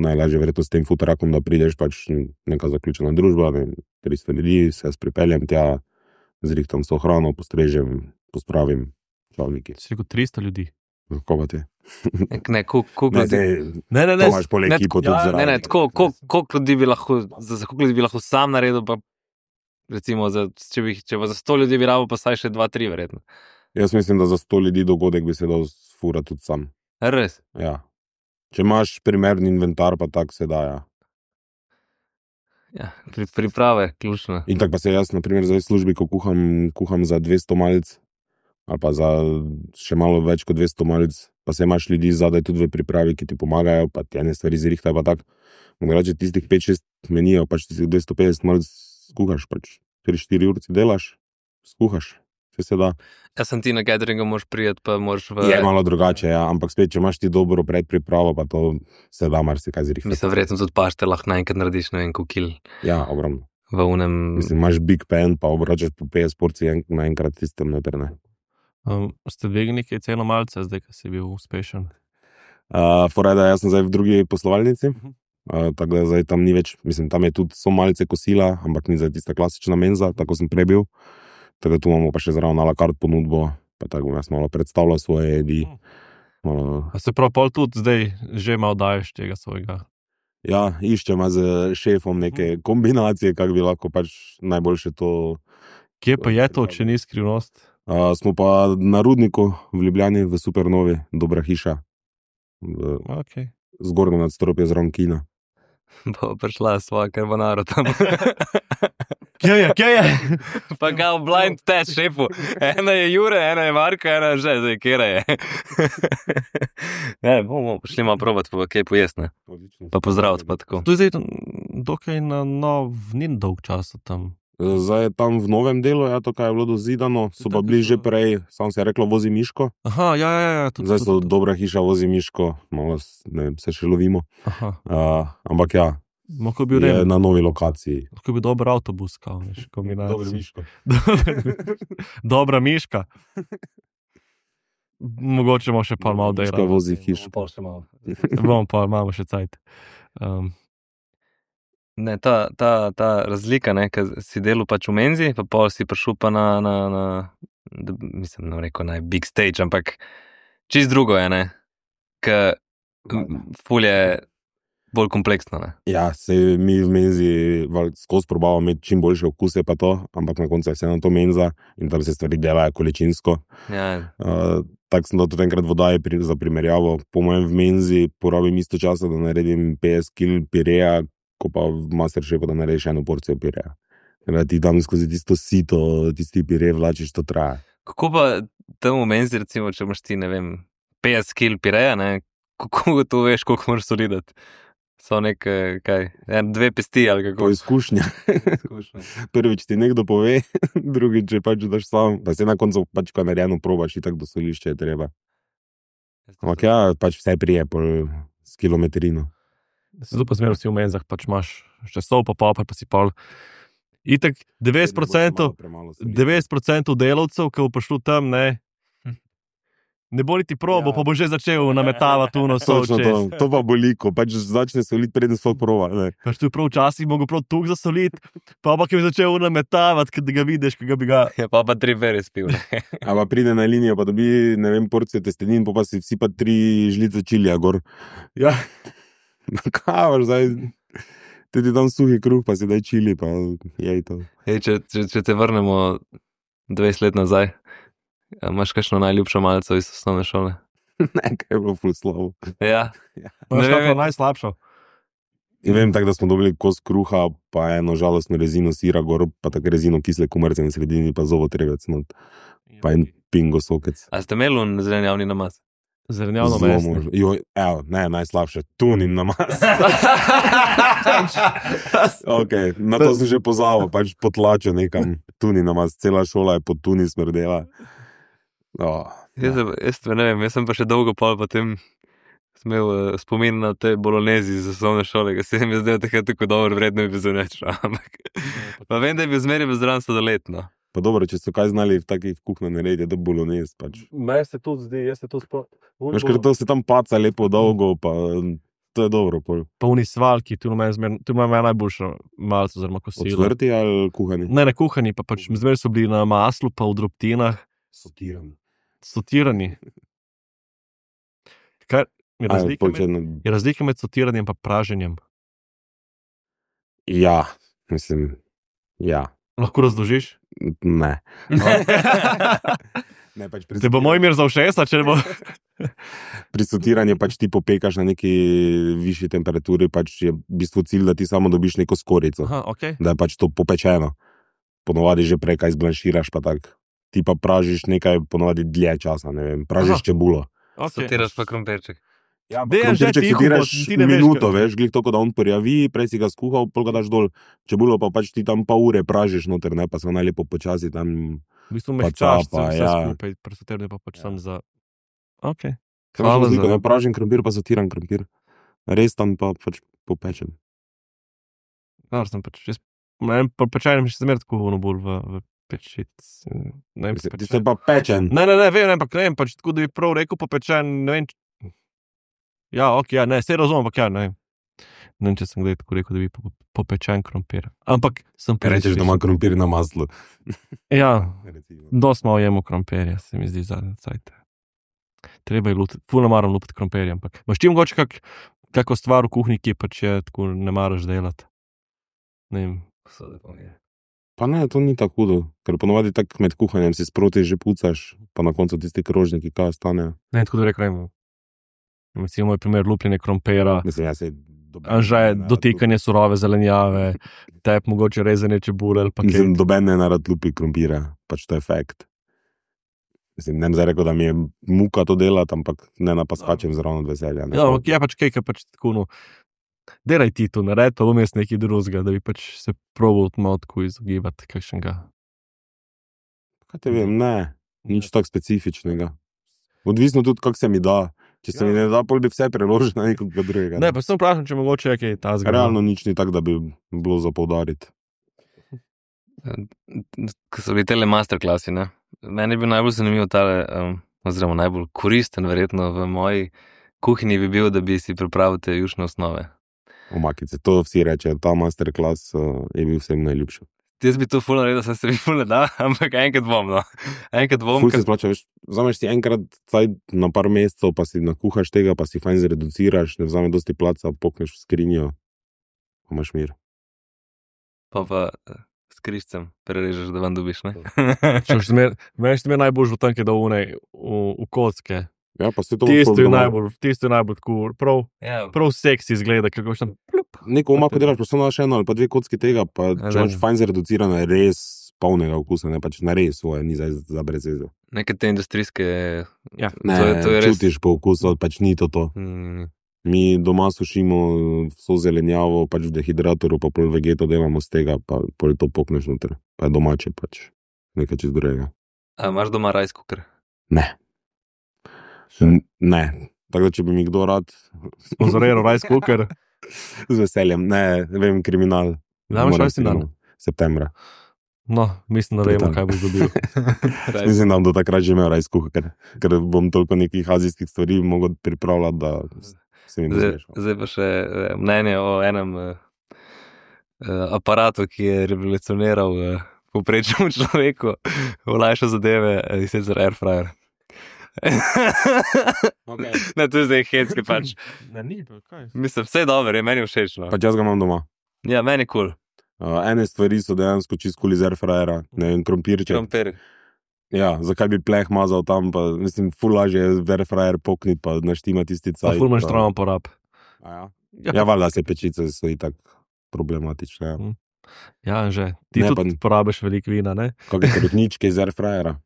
Najlažje verjetno s tem food truckom, da prideš pač neka zaključena družba, ne vem, 300 ljudi, se jaz pripeljem tja, zrihtam so hrano, postrežem, pospravim, čavniki. Si rekel 300 ljudi. Kako pa ti? ne, koliko Ne, ljudi? Ne, to imaš pol ekipo tudi zraven. Ne, tako, koliko ljudi bi lahko, za koliko ljudi bi lahko sam naredil, pa recimo, če pa za 100 ljudi bi rabo, pa saj še 2-3 verjetno. Jaz mislim, da za 100 ljudi dogodek bi se dal furati tudi sam. Res? Ja. Če imaš primerni inventar, pa tak se da, ja. Ja, priprave, ključno. In tako pa se jaz, na primer, zdaj v službi, ko kuham za 200 malic, ali pa za še malo več kot 200 malic, pa se imaš ljudi zadaj tudi v pripravi, ki ti pomagajo, pa ti ene stvari zrihtajo, pa tak. Mogoče tistih 5-6 menijo, pač tistih 250 malic skuhaš, pač 3-4 urci delaš, skuhaš, vse se da. Jaz sem ti na cateringu, moraš prijeti, pa moraš Je malo drugače, ja, ampak spet, če imaš ti dobro predpripravo, pa to se da marsikaj zrihtati. Mislim, verjetno tudi pašte lahko naenkrat narediš, ne vem, koliko kil Ja, ogromno. v unem. Mislim, imaš big pan, pa obračaš po 50 porcij naenkrat tistem noter, ne. Ste dvignili nekaj ceno malce, zdaj, ko si bil uspešen? Fora je, da jaz sem zdaj v drugi poslovalnici, tako da zdaj tam ni več, mislim, tam je tudi so malce kosila, ampak ni zdaj tista klasična menza, tako sem prej bil. Tako da tu imamo pa še zraven a la carte ponudbo, pa tako bom jaz malo predstavljal svoje jedi. Malo, A se prav pol tudi zdaj že malo daješ tega svojega? ja, iščem z šefom neke kombinacije, kako bi lahko pač najboljše to. Kje pa je to, če ni skrivnost? Smo pa na Rudniku v Ljubljani, v Supernovi, dobra hiša. Okay. Zgornjo nadstropje zraven kina. Bo prišla svoja carbonara tam. Kje je? Pa ga v blind test šefu. Ena je Jure, ena je Marko, ena je že, zdaj kera je. Ne, bomo šli malo probat, pa kaj pojest, ne? Pa pozdraviti, pa tako. To je zdaj dokaj na nov, ni dolg časa tam. Zdaj je tam v novem delu, ja, to, kaj je bilo dozidano, so pa bili že prej, samo se je reklo, vozi Miško. Aha, ja. Zdaj so dobra hiša, vozi Miško, malo ne vem, se še lovimo. Aha. Ampak ja, Lahko bi je bil na novi lokaciji. lahko bi dober avtobus, kao, veš, kombinacija. Miško. Dobra miška. Mogoče bomo še pa malo Miška delali. vozi hiško. Pol še malo. Bomo pa imamo še cajt. Ne, ta razlika, ne, ker si delal pač v menzi, pa pol si prišel pa mislim, ne rekel naj big stage, ampak čist drugo je, ne, ker ful je bolj kompleksno, ne. Ja, se mi v menzi skozi probavamo imeti čim boljše okuse pa to, ampak na koncu je vseeno to menza in tam se stvari delajo količinsko. Ja, Tako sem dal tudi enkrat vodaje za primerjavo. Po mojem v menzi porabim isto časa, da naredim 50 kg pireja, ko pa v Masterchefu, da narediš eno porcijo pireja. Da ti tam skozi tisto sito, tisti pirej vlačiš, to traja. kako pa tam v menzi, recimo, če imaš ti, ne vem, 50 kg pireja, ne, kako to veš, koliko moraš solidati? So neke, kaj, 2 pesti ali Po kako? izkušnjah. Prvič ti nekdo pove, drugič če pač daš sam, pa se na koncu pač ko narejeno probaš, itak do solišče je treba. Ampak ja, pač vse prije pol s kilometrino. Zato pa zmerno si v menzah, pač imaš še sol pa popar, pa si pol. Itak 90% delavcev, ki bo prišlo tam, ne, Ne bo niti probo, pa bo že začel nametavati tu nos sol Točno čez. to pa boliko, pač začne soliti, preden sploh prova. Ne. Pač tu prav včasih mogel prav tuk zasoliti, pa je začel nametavati, kad ga vidiš, kad ga bi ga... Ja, pa 3 bere spil. A pa pride na linijo, pa dobi, ne vem, porcijo testenin, pa si vsi pa 3 žlice čilija gor. Ja, Kaj vaš zdaj? Tudi tam suhi kruh, pa si daj čili, pa jej to. Ej, če te vrnemo 20 let nazaj, imaš kakšno najljubšo malico iz osnovne šole? Ne, kaj je bilo ful slabo. Ja. ne Ne vem, vem. najslabšo. In vem tako, da smo dobili kos kruha, pa eno žalostno rezino sira gor, pa tako rezino kisle kumarce na sredini, pa zovotrevec not, pa en pingo sokec. A ste imeli un zelenjavni namaz? Zelenjavno Zelo mesto. možno. Jo, evo, ne, najslabše, tunin namaz. Okay, na to sem že pozabil, pač potlačil nekam tunin namaz, cela šola je pod tuni smrdela. Oh, Jaz ne vem, jaz sem pa še dolgo pol potem imel spomin na te bolonezi iz osnovne šole, ki se mi je zdel takrat tako dobro, vredno je bil zunečo, ampak pa vem, da je bil zmeraj zraven sodoletno. pa dobro, če so kaj znali v takih kuhnah narediti, da bolonez pač. Meni se tudi zdi, jaz se to sploh... Veš, ker to se tam paca lepo dolgo, pa to je dobro. Pol. Pa oni svalki, tu ima najboljša malce, oziroma kosilo. Odsvrti ali kuhani? Ne, kuhani, pa pač zmeraj so bili na maslu, pa v drobtinah, Sotirani. sotirani. Kaj je razlika, Pol, če je razlika med sotiranjem in praženjem? Ja, mislim, ja, Lahko razložiš? ne. Ne, pač pri Te bo moj mir za všesa, če ne bo... Pri sotiranju pač ti popekaš na neki višji temperaturi, pač je v bistvu cilj, da ti samo dobiš neko skorico, Aha, ok. da je pač to popečeno. Ponovadi že prej kaj zblanširaš, pa tak. Ti pa pražiš nekaj ponovadi dlje časa, ne vem, pražiš Aha. čebulo. okay. Sotiraš pa krompirček. Ja, Dejan, že tiho bo, sotiraš ti ne veš, minuto, kaj- veš, glih to, da on porjavi, prej si ga skuhal, pol ga daš dol, čebulo pa pač ti tam pa ure pražiš noter, ne, pa se najlepo počasi tam. V bistvu Pa mehčaš capa, vse ja. skupaj, pri sotiranju pa pač sam za... Ok. Hvala Hvala za... za... Pražen krompir pa sotiran krompir. Res tam pa pač popečen. Dobro, sem pač... Ne vem, po pečajnem še zmeraj tako ono bolj v pečic. Ne vem, Ti ste pa pečen. Ne, vem, ampak ne vem, pač tako, da bi prav rekel popečen, ne vem. Ja, ok, ja, ne, se razumem, ampak ja, ne vem. Ne vem, če sem kdaj tako rekel, da bi popečen krompir. Ampak sem Kaj rečeš, da ima krompir na maslu? Ja, Recimo. dosti malo jemo krompirja, se mi zdi zadnje cajte. Treba je lupiti, ful ne maram lupiti krompirja, ampak imaš ti mogoče kako stvar v kuhinji, ki pač je tako ne maraš delati? Ne vem. Pa ne, to ni tako hudo, ker ponovadi tako med kuhanjem si sproti že pucaš, pa na koncu tisti krožniki, kaj ostanejo. Ne, tako da rekel, ne vem. Recimo moj primer lupljenje krompira, Mislim, jaz se anže dotikanje surove zelenjave, tep mogoče rezanje čebule ali pa Mislim, kaj. doben ne narad lupi krompira, pač to je fakt. Mislim, ne bom zdaj rekel, da mi je muka to delati, ampak ne napaskačem zraven od veselja. Ne. Ja, ampak je pač kaj, pač tako, no, delaj ti to, nared pa bom jaz nekaj drugega, da bi pač se probal malo tako izogibati kakšnega. Kaj te vem, ne, nič tako specifičnega. Odvisno tudi, kako se mi da. Če se mi ne da, pol bi vse preložil na nekoga drugega. Ne, pa sem vprašal, če mogoče je kaj ta zgodi. Realno nič ni tako, da bi bilo za poudariti. Ko so bili tele masterklasi, ne? Meni je bil najbolj zanimiv tale, oziroma najbolj koristen verjetno v moji kuhinji bi bil, da bi si pripravil te jušne osnove. Omakice, to vsi rečejo, ta masterclass je bil vsem najljubši. Jaz bi to ful naredil, sem se mi ful ne da, ampak enkrat bom, no. Enkrat bom, Ful se splača, veš, vzameš si enkrat caj na par mesecev, pa si nakuhaš tega, pa si fajn zreduciraš, ne vzame dosti placa, pokneš v skrinjo, pa imaš mir. pa s križcem prerežeš, da vam dobiš, ne? Meni je najbolj v tanke, da v kocke. Ja, pa se to Tisto je najbolj tako, Ja, prav seksi izgleda, kako še tam plup. Neko omako delaš, pa samo daš eno ali pa dve kocki tega, pa Ja, če imaš da. fajn zreducirano, je res polnega okusa, ne pač na res svoje, ni za brez veze. neke te industrijske... Ja. Ne, to je res... čutiš po okusu, pač ni to to. Mi doma sušimo vso zelenjavo, pač v dehidratorju, pa pol vegeto delamo z tega, pa pol to pokneš noter. Pa je domače, pač nekaj čez drugega. A imaš doma rice cooker? Ne. Ne. Tako da, če bi mi kdo rad, Sponzoriral rice cooker. z veseljem, ne vem, kriminal. Da imaš Moram rojstni dan. Septembra. No, mislim, da To je vemo, to. kaj boš dobil. Mislim, da bom do takrat že imel raj skuha, ker bom toliko nekih azijskih stvari mogel pripravljati, da se mi bo smešal. Zdaj pa še mnenje o enem aparatu, ki je revolucioniral povprečnemu človeku, olajšal zadeve, in sicer airfryer. Okay. Ne, to je zdaj hecki pač. Ne, ni, pa kaj? Mislim, vse je dobro, je meni všeč. No. Pač jaz ga imam doma. Ja, meni je kul. Ene stvari so dejansko čisto kul iz airfryera, ne vem, krompirček. Krompir. Ja, zakaj bi pleh mazal tam, pa mislim, ful lažje je v airfryer pokniti, pa naštima tisti Pa cajt. ful imaš travno porab. Ja, valjda se pečice so itak problematične. Ja. Ja, že. Ti Ne, tudi porabiš veliko vina, ne? Kakšne krutničke iz airfryera,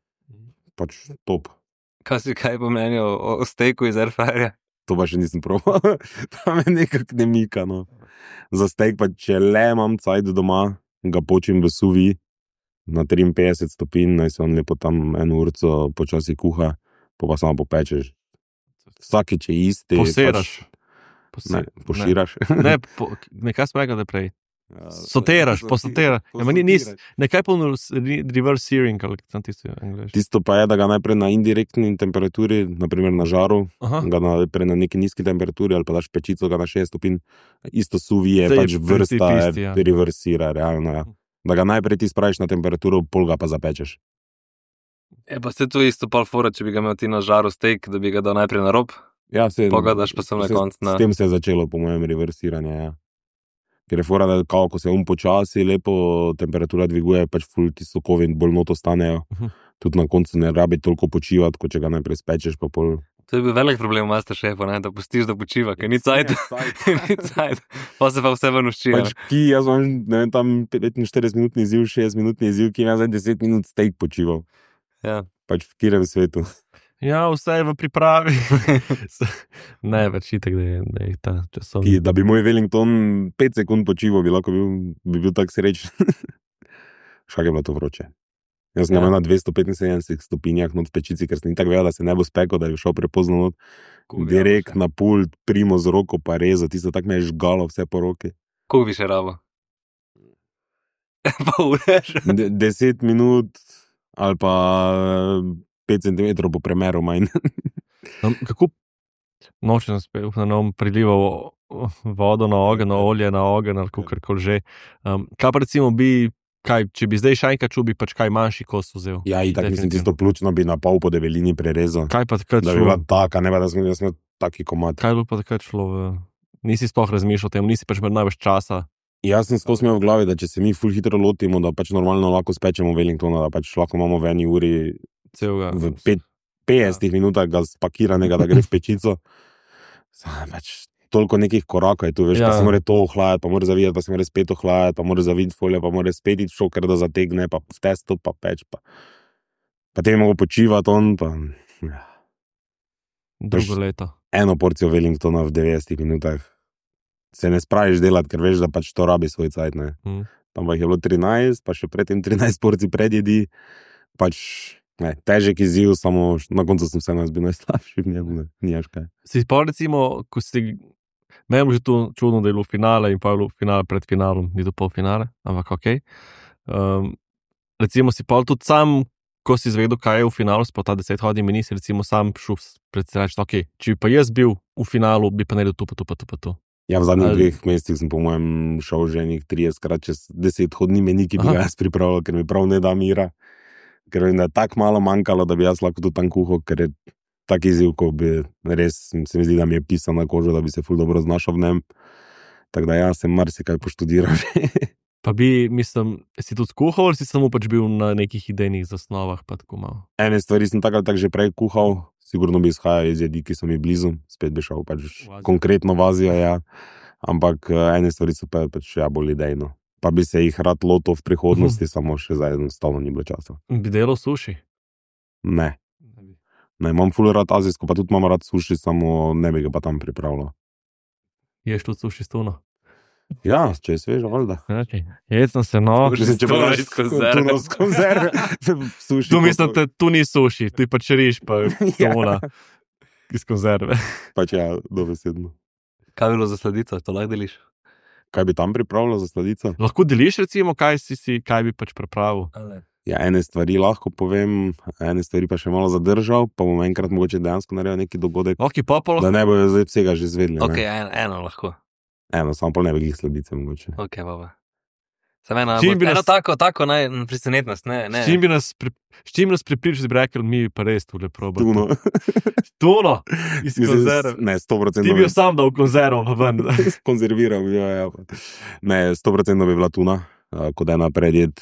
pač top. Kaj po mnenju o steku iz airfryerja? To pa še nisem probal, tam je nekak ne mika, no. Za steak pa, če le imam cajt doma, ga počim v suvi na 53 stopinj, naj se on lepo tam eno urco počasi kuha, pa samo popečeš. Vsakič je isti. Poseraš. Ne, poširaš. Nekaj smo rekli, da prej. Soteraš, posoteraš. Ja, nekaj polno reverse searing, ali tam tisto je angliško. Tisto pa je, da ga najprej na indirektni temperaturi, naprimer na žaru, Aha. ga najprej na neki nizki temperaturi ali pa daš pečico ga na 6 stopinj, isto suvi je Zdaj je pač vrsta, princip isti, ja. reversira, realno. Ja. Da ga najprej ti spraviš na temperaturo, pol ga pa zapečeš. Pa se to isto pol fora, če bi ga imel ti na žaru steak, da bi ga dal najprej na rob, Ja, pogledaš pa sem na koncu. S tem se je začelo, po mojem, reversiranje. Ja. Ker je fora, da ko se počasi lepo temperatura dviguje, pač ful ti sokovi bolj noto stanejo. Tudi na koncu ne rabi toliko počivati, kot če ga najprej spečeš, pa pol. To je bil velik problem v Masterchefu, ne? Da pustiš, da počiva, ker ni cajt. Ni cajt. Pa se pa vse ven uščira. Pač ki, jaz imam, ne vem, tam 45-minutni izziv, 60-minutni izziv, ki ima zdaj 10 minut steak počival. Ja. Pač v katerem svetu. Ja, vse je v pripravi. Ne, več itak, da je ta časovni. Da bi moj Wellington 5 sekund počival, bi bil tak srečen. Škak je bilo to vroče. Jaz sem ga imel na 275 stopinjah not v pečici, ker sem tako vedel, da se ne bo spekel, da je šel prepozno not. Direkt na pult, primo z roko pa reza, tisto tako me je žgalo vse po roki. Koliko bi še rabo? Pa ureš. 10 minut ali pa 5 cm po premeru manj. Kako nočem spet, da nam prilival vodo na ogenj, olje na ogenj ali kakorkoli že. Kaj pa recimo bi, če bi zdaj šajka čul, bi pač kaj manjši kos vzel? Ja, in tako mislim, tisto pljučno bi na pol po debelini prerezal. Kaj pa takrat Da bi bila taka, ne pa da sem imel taki komad. Kaj bi pa takrat šlo? Nisi sploh razmišljal o tem, nisi pač imel največ časa. Jaz sem skozi imel v glavi, da če se mi ful hitro lotimo, da pač normalno lahko spečemo Wellingtona, da pač lahko imamo v eni uri Celega. v 50 minutah ga spakiranega, da gre v pečico. Pač toliko nekih korakov je tu, veš, pa se mora to ohlajati, pa mora zavijati, pa se mora spet ohlajati, pa mora zaviti folio, pa mora spet iti šoker, da zategne, pa v testo, pa peč, pa te mogo počivati on, pa ja. Drugo leto. Eno porcijo Wellingtona v 90 minutah se ne spraviš delati, ker veš, da pač to rabi svoj cajt, ne. Tam pa jih je bilo 13, pa še predtem 13 porcij predjedi, pač ne, težek izziv, samo na koncu sem se bil najslabši v njemu, nijaš kaj. Si pa recimo, ko si, meni je že to čudno, da je bilo finale in pa je bilo finale pred finalom, ni to polfinale, ampak okej. Recimo si pa tudi sam, ko si izvedel, kaj je v finalu, pa ta 10 hodin, mi nisi recimo sam šel predstavljati, okej, če bi pa jaz bil v finalu, bi pa naredil to, pa to, pa to, pa to. Ja, v zadnjih 2 mesecih sem po mojem šel že enih 30krat čez 10 hodni meni, ki bi ga jaz pripravil, ker mi prav ne da mira. Ker vem, da je tako malo manjkalo, da bi jaz lahko tudi tam kuhal, ker je tak izziv, ko bi res, se mi zdi, da mi je pisal na kožo, da bi se ful dobro znašel v njem. Tako da ja, sem marsikaj poštudiral že. Pa bi, mislim, si tudi kuhal, ali si samo pač bil na nekih idejnih zasnovah, pa tako malo? Ene stvari sem tako ali tako že prej kuhal, sigurno bi izhajal iz jedi, ki so mi blizu, spet bi šel pač konkretno v Azijo, ja. Ampak ene stvari so pač ja bolj idejno. Pa bi se jih rad lotil v prihodnosti, samo še zdaj enostavno ni bilo časa. Bi delal suši? Ne. Ne, imam ful rad azijsko, pa tudi imam rad suši, samo ne bi ga pa tam pripravljal. Ješ tudi suši s tuno? Ja, če je svežo, valjda. Okay. Jaz sem se, no. Če pa daš tuno z konzerve. Tu mislim, da tu ni suši, tu je pač riž, pa tuna iz konzerve. Pač ja, dobesedno. Kaj je bilo za sladico, to lahko deliš? Kaj bi tam pripravljal za sladico? Lahko deliš, recimo, kaj bi pač pripravil. Ja, ene stvari lahko povem, ene stvari pa še malo zadržal, pa bom enkrat mogoče dejansko naredil neki dogodek, Ok, pa lahko. da ne bojo zdaj vsega že izvedeli. Ok, ne. eno lahko. Eno, samo pa ne bi jih sladice mogoče. Ok, baba. Sem eno, Čim bi eno nas- tako presenetnost, ne. S čim nas pripričaš, bi rekel, mi pa res tule probamo. Tuno. Tuno, iz Mislim, konzerv. ne, 100%. Ti bi jo sam dal v konzervo ven. konzerviral, ja. Ne, 100% bi bila tuna, kot ena predjed,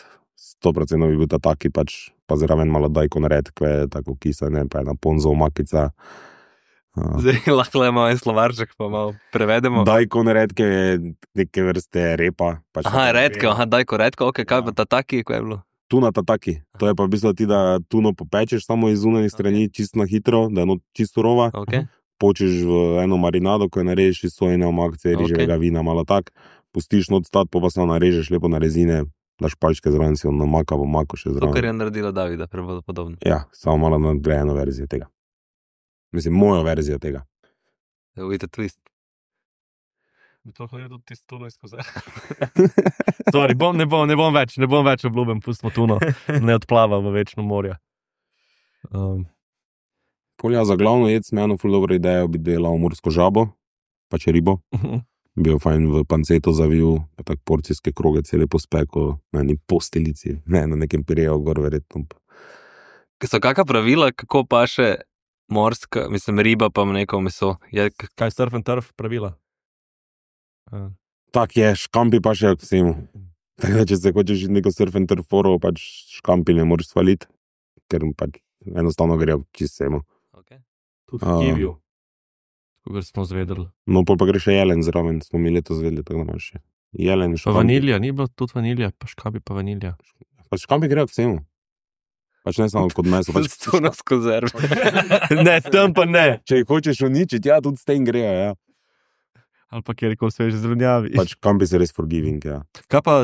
100% bi bil ta taki, pač, pa zraven malo dajko redkve, tako kisane, pa ena ponzo makica. Zdaj lahko le malo en slovarček, pa malo prevedemo. Dajko redke je neke vrste repa. Pač Aha, taka- redko, ok, kaj Ja. pa ta taki, ko je bilo? Tuna ta taki. To je pa v bistvu ti, da tuno popečeš samo iz zunanjih strani, čisto na hitro, da je čisto surova. Ok, Počeš v eno marinado, ko jo narežeš iz sojine omakce, Ok. riževega vina, malo tak, pustiš not stat, pa samo narežeš lepo na rezine, daš palčke zraven, si on namaka, bo mako še to, kar zraven. je naredila Davida, podobno. Ja, samo malo nadgrajeno verzijo tega. Mislim, mojo verzijo tega. Ujte twist. To je tudi tisto tuno iz konzerv. Sorry, ne bom več obljuben, pustimo tuno, ne odplava v večno morje. Polja za glavno jed sem eno ful dobro idejo, bi delal morsko žabo, pač ribo. Bi jo fajn v panceto zavil, pa tak porcijske kroge cele pospeko na eni postelici, ne na nekem pireju gor verjetno. So kakšna pravila, kako pa še morska, mislim, riba pa neko meso? Je, Kaj surf and turf pravila? Tak je, škampi pa še k vsemu. Tako da, če se hočeš iti neko surf and turf foro, pač škampi ne moreš svaliti, ker pač enostavno grejo čisto vsemu. okay. Tudi v Kiviju. Kogar smo zvedeli. No, pol pa gre še jelen zraven, smo mi letos zvedeli, tako da imaš še jelen, Pa škampi. vanilja, ni bilo tudi vanilja, pa škabi pa vanilja. Pač škampi grejo k vsemu. Pač ne samo kot meso. Pač, Tuno s konzerv. Ne, tam pa ne. če jih hočeš uničiti, ja, tudi s tem grejo, ja. Ali pa kjer koli sveže zelenjavi. Pač škampi so res forgiving, ja. Kaj pa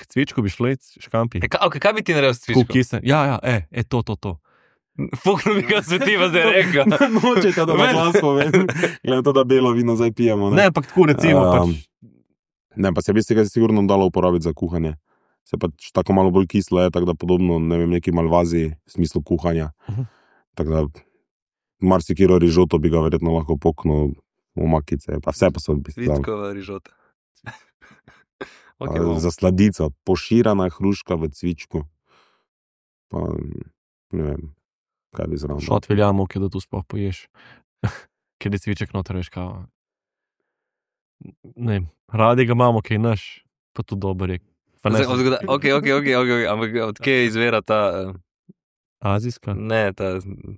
cvičko bi šlo škampi? Kaj bi ti naredil s cvičkom? Kukise. Ja, to. Fukno mi ga svetiva zdaj rekel. Nočete, da vam glas povem. Glede to, da belo vino zdaj pijemo. Ne, ampak tako recimo pač. Ne, pa se bi se ga sigurno dalo uporabiti za kuhanje. Se pač tako malo bolj kislo je, tako da podobno, ne vem, neki malvazi v smislu kuhanja. Tako da marsikiro rižoto bi ga verjetno lahko poknil v makice, pa vse pa so v bistvu. Cvičkova rižota. Okay, Za sladico, poširana hruška v cvičku. Pa ne vem, kaj bi zraven. Šot veljamo, da tu sploh poješ. Ker je cviček noter, veš kao. Ne, radi ga imamo, kaj naš, pa tudi dober je. Pa ne, Ok, ampak odkje izvira ta, azijska.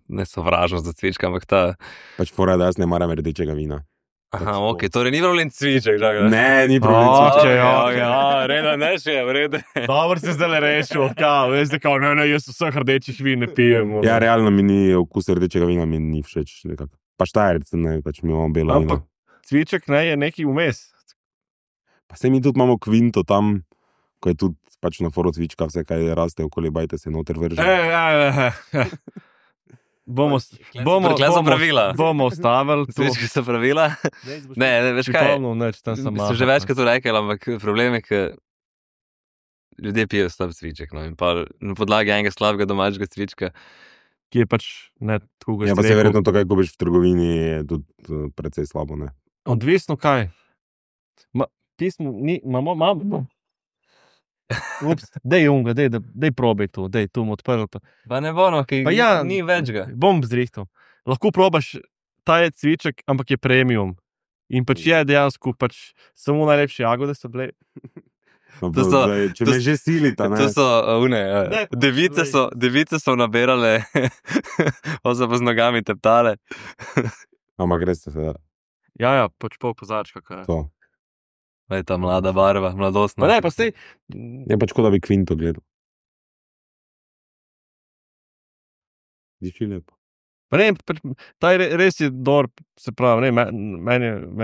ne sovražnost za cvička, ampak ta, Pač fora, da jaz ne maram rdečega vina. aha, ok, torej ni problem cviček, žaga. Ne, ni O, problem. če cviček. jo. Reda, ne še, vrede. Dobro se zdaj rešil, kao, veš, da kao, ne, jaz vseh rdečih vin ne pijem. Ja, realno mi ni okus rdečega vina, mi ni všeč. Nekako. Pa štajerci, ne, pač mi imamo belo vino. Ampak cviček ne je neki vmes. Pa se mi tudi imamo kvinto tam, ko je tudi pač na foru cvička, vse kaj raste okoli, bajte se noter vrže. Bomo Kle so pravila. Bomo ustavili to. Cvički so pravila. Ne, veš kaj, sem že večkrat to rekel, ampak problem je, ker ljudje pijejo slab cviček, no, in pa na podlagi enega slabega domačega cvička. Ki je pač ne tako, Ja, pa se verjetno to, kaj kupiš v trgovini, je tudi precej slabo, ne. Odvisno kaj. Imamo. Ups, dej unga, dej probaj to, dej tu mu odprl. Pa ne bo, no, ki Pa ja. ni več ga. Bom zrihtal. Lahko probaš, ta je cviček, ampak je premium. In pač je dejansko pač samo najlepše jagode so bile. No, To so- zdaj, če me že silita, ne. To so une, Ne, device so nabirale, pa so pa z nogami teptale. Ampak res se Ja, pač pol kozarčka. Kaj. to. Pa je ta mlada barva, mladostna. Pa ne, pa sej. Je pač kot da bi kvinto gledal. Diši lepo. Pa ne, pač, ta je res je dober, se pravi, ne,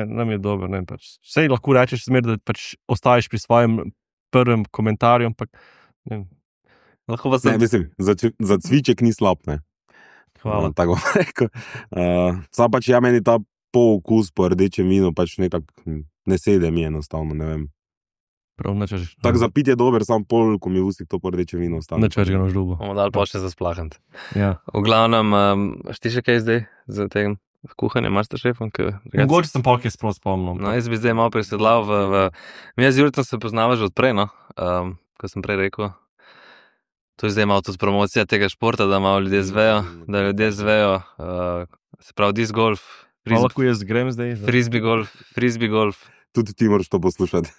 nam je dober, ne, pač. Sej lahko rečeš smer, da pač ostaješ pri svojem prvem komentarju, ampak ne, Lahko pa Ne, sem. mislim, za cviček ni slab, ne. hvala. Tako bom rekel. Sam pač ja, meni ta pookus po rdečem vinu pač nekako ne sede mi enostavno, ne vem. Prav, načeš. Tak za pit je dober, sam pol, ko mi v ustih to pordeče vino ostane. Načeš ga na žlubo. Bomo dali počne za splahant. Ja. V glavnem, ti še kaj zdaj za tem kuhanjem, Masterchefom? Mogoče sem polk je sprav spomnil. No, jaz bi zdaj malo presedlal mi z Juretom se poznava že odprej, no, ko sem prej rekel. To je zdaj malo tudi promocija tega športa, da malo ljudje zvejo, se pravi disc golf, Lahko jaz grem zdaj. frisbee golf. Tudi ti moraš to poslušati.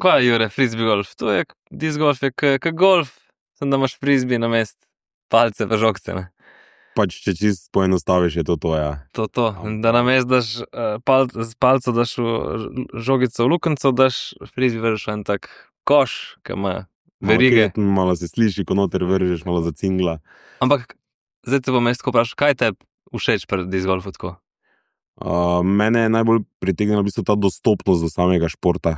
Kaj je, Jure, frisbee golf? To je, disc golf je k golf, sem da imaš frisbee na mest, palce pa žogce, ne. Pač, če čist poenostaviš, je to, ja. To, da na mest daš z palco daš žogico v lukenco, daš frisbee vržeš v en tak koš, ki ima verige. Malo se sliši, ko noter vržeš, malo zacingla. Ampak, zdaj te bom jaz tako vprašal, kaj te všeč pri disc golfu tako? Mene je najbolj pritegnila v bistvu ta dostopnost do samega športa,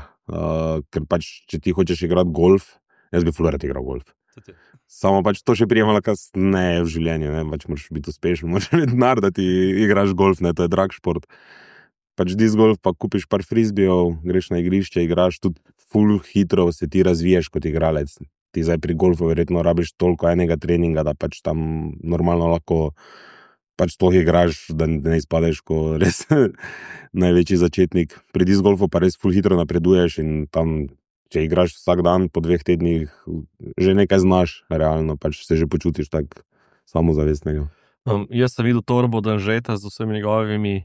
ker pač, če ti hočeš igrati golf, jaz bi ful rad igral golf. Samo pač to še prijemala kasneje v življenju, ne, pač moraš biti uspešen, moraš imeti denar, da ti igraš golf, ne, to je drag šport. Pač disc golf pa kupiš par frisbeejev, greš na igrišče, igraš tudi ful hitro, se ti razviješ kot igralec. Ti zdaj pri golfu verjetno rabiš toliko enega treninga, da pač tam normalno lahko pač to igraš, da ne izpadeš ko res največji začetnik. Pri disc golfu pa res ful hitro napreduješ in tam, če igraš vsak dan po 2 tednih, že nekaj znaš, realno, pač se že počutiš tak samozavestnega. Jaz sem videl torbo Danžeta z vsemi njegovimi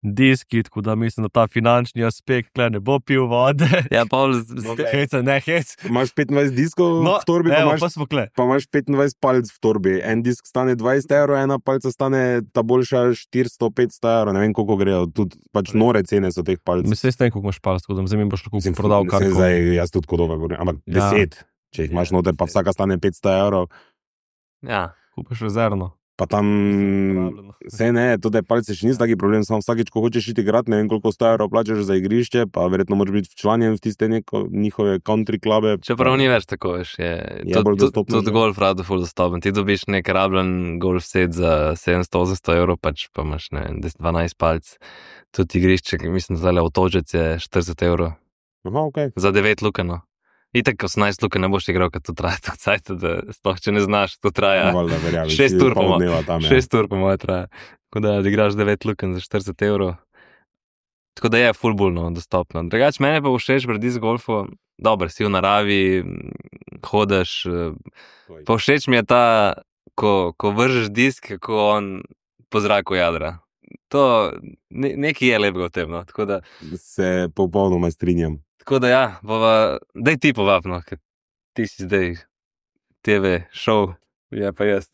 diski, tako da mislim, da ta finančni aspekt ne bo pil vode. Ja, Paul, hec. Imaš 25 diskov v torbi, pa imaš 25 palc v torbi. En disk stane 20 €, ena palca stane ta boljša 400-500 €, ne vem, koliko grejo. Tudi pač nore cene so teh palc. Mislim, da koliko imaš palc, tako da mi boš lahko prodal kar koli. Zdaj, jaz tudi kodova govorim, ampak 10, če jih imaš noter, pa vsaka stane 500 €. Ja. Kupiš rezervno. Pa tam, vse ne, to, da je palce še niso taki problem, samo vsakeč, ko hočeš iti igrati, ne vem, koliko 100 € plačaš za igrišče, pa verjetno moraš biti včlanjen v tiste njihove country klube. Čeprav ni več tako, veš, je bolj dostopno. Tudi golf rado ful dostopen. Ti dobiš nek rabljen golf set za 700-800 €, pač pa imaš, ne vem, 12 palc. Tudi igrišče, mislim, da avtožec je 40 €. Aha, okej. Za 9 lukenov. Itak 18 luke ne boš igral, ker to traja tako cajt, da sploh če ne znaš, to traja 6 ur po moje traja. Tako da igraš 9 luken za 40 €. Tako da je ful bolj dostopno. Drugače, mene pa všeč pri disc golfu, dobro, si v naravi, hodeš, pa všeč mi je ta, ko vržeš disk, kako on po zraku jadra. To, nekaj je lepega v tem, no, tako da. Se popolnoma strinjam. Tako da ja, daj ti povabno, ker ti si zdaj TV show, je pa jaz.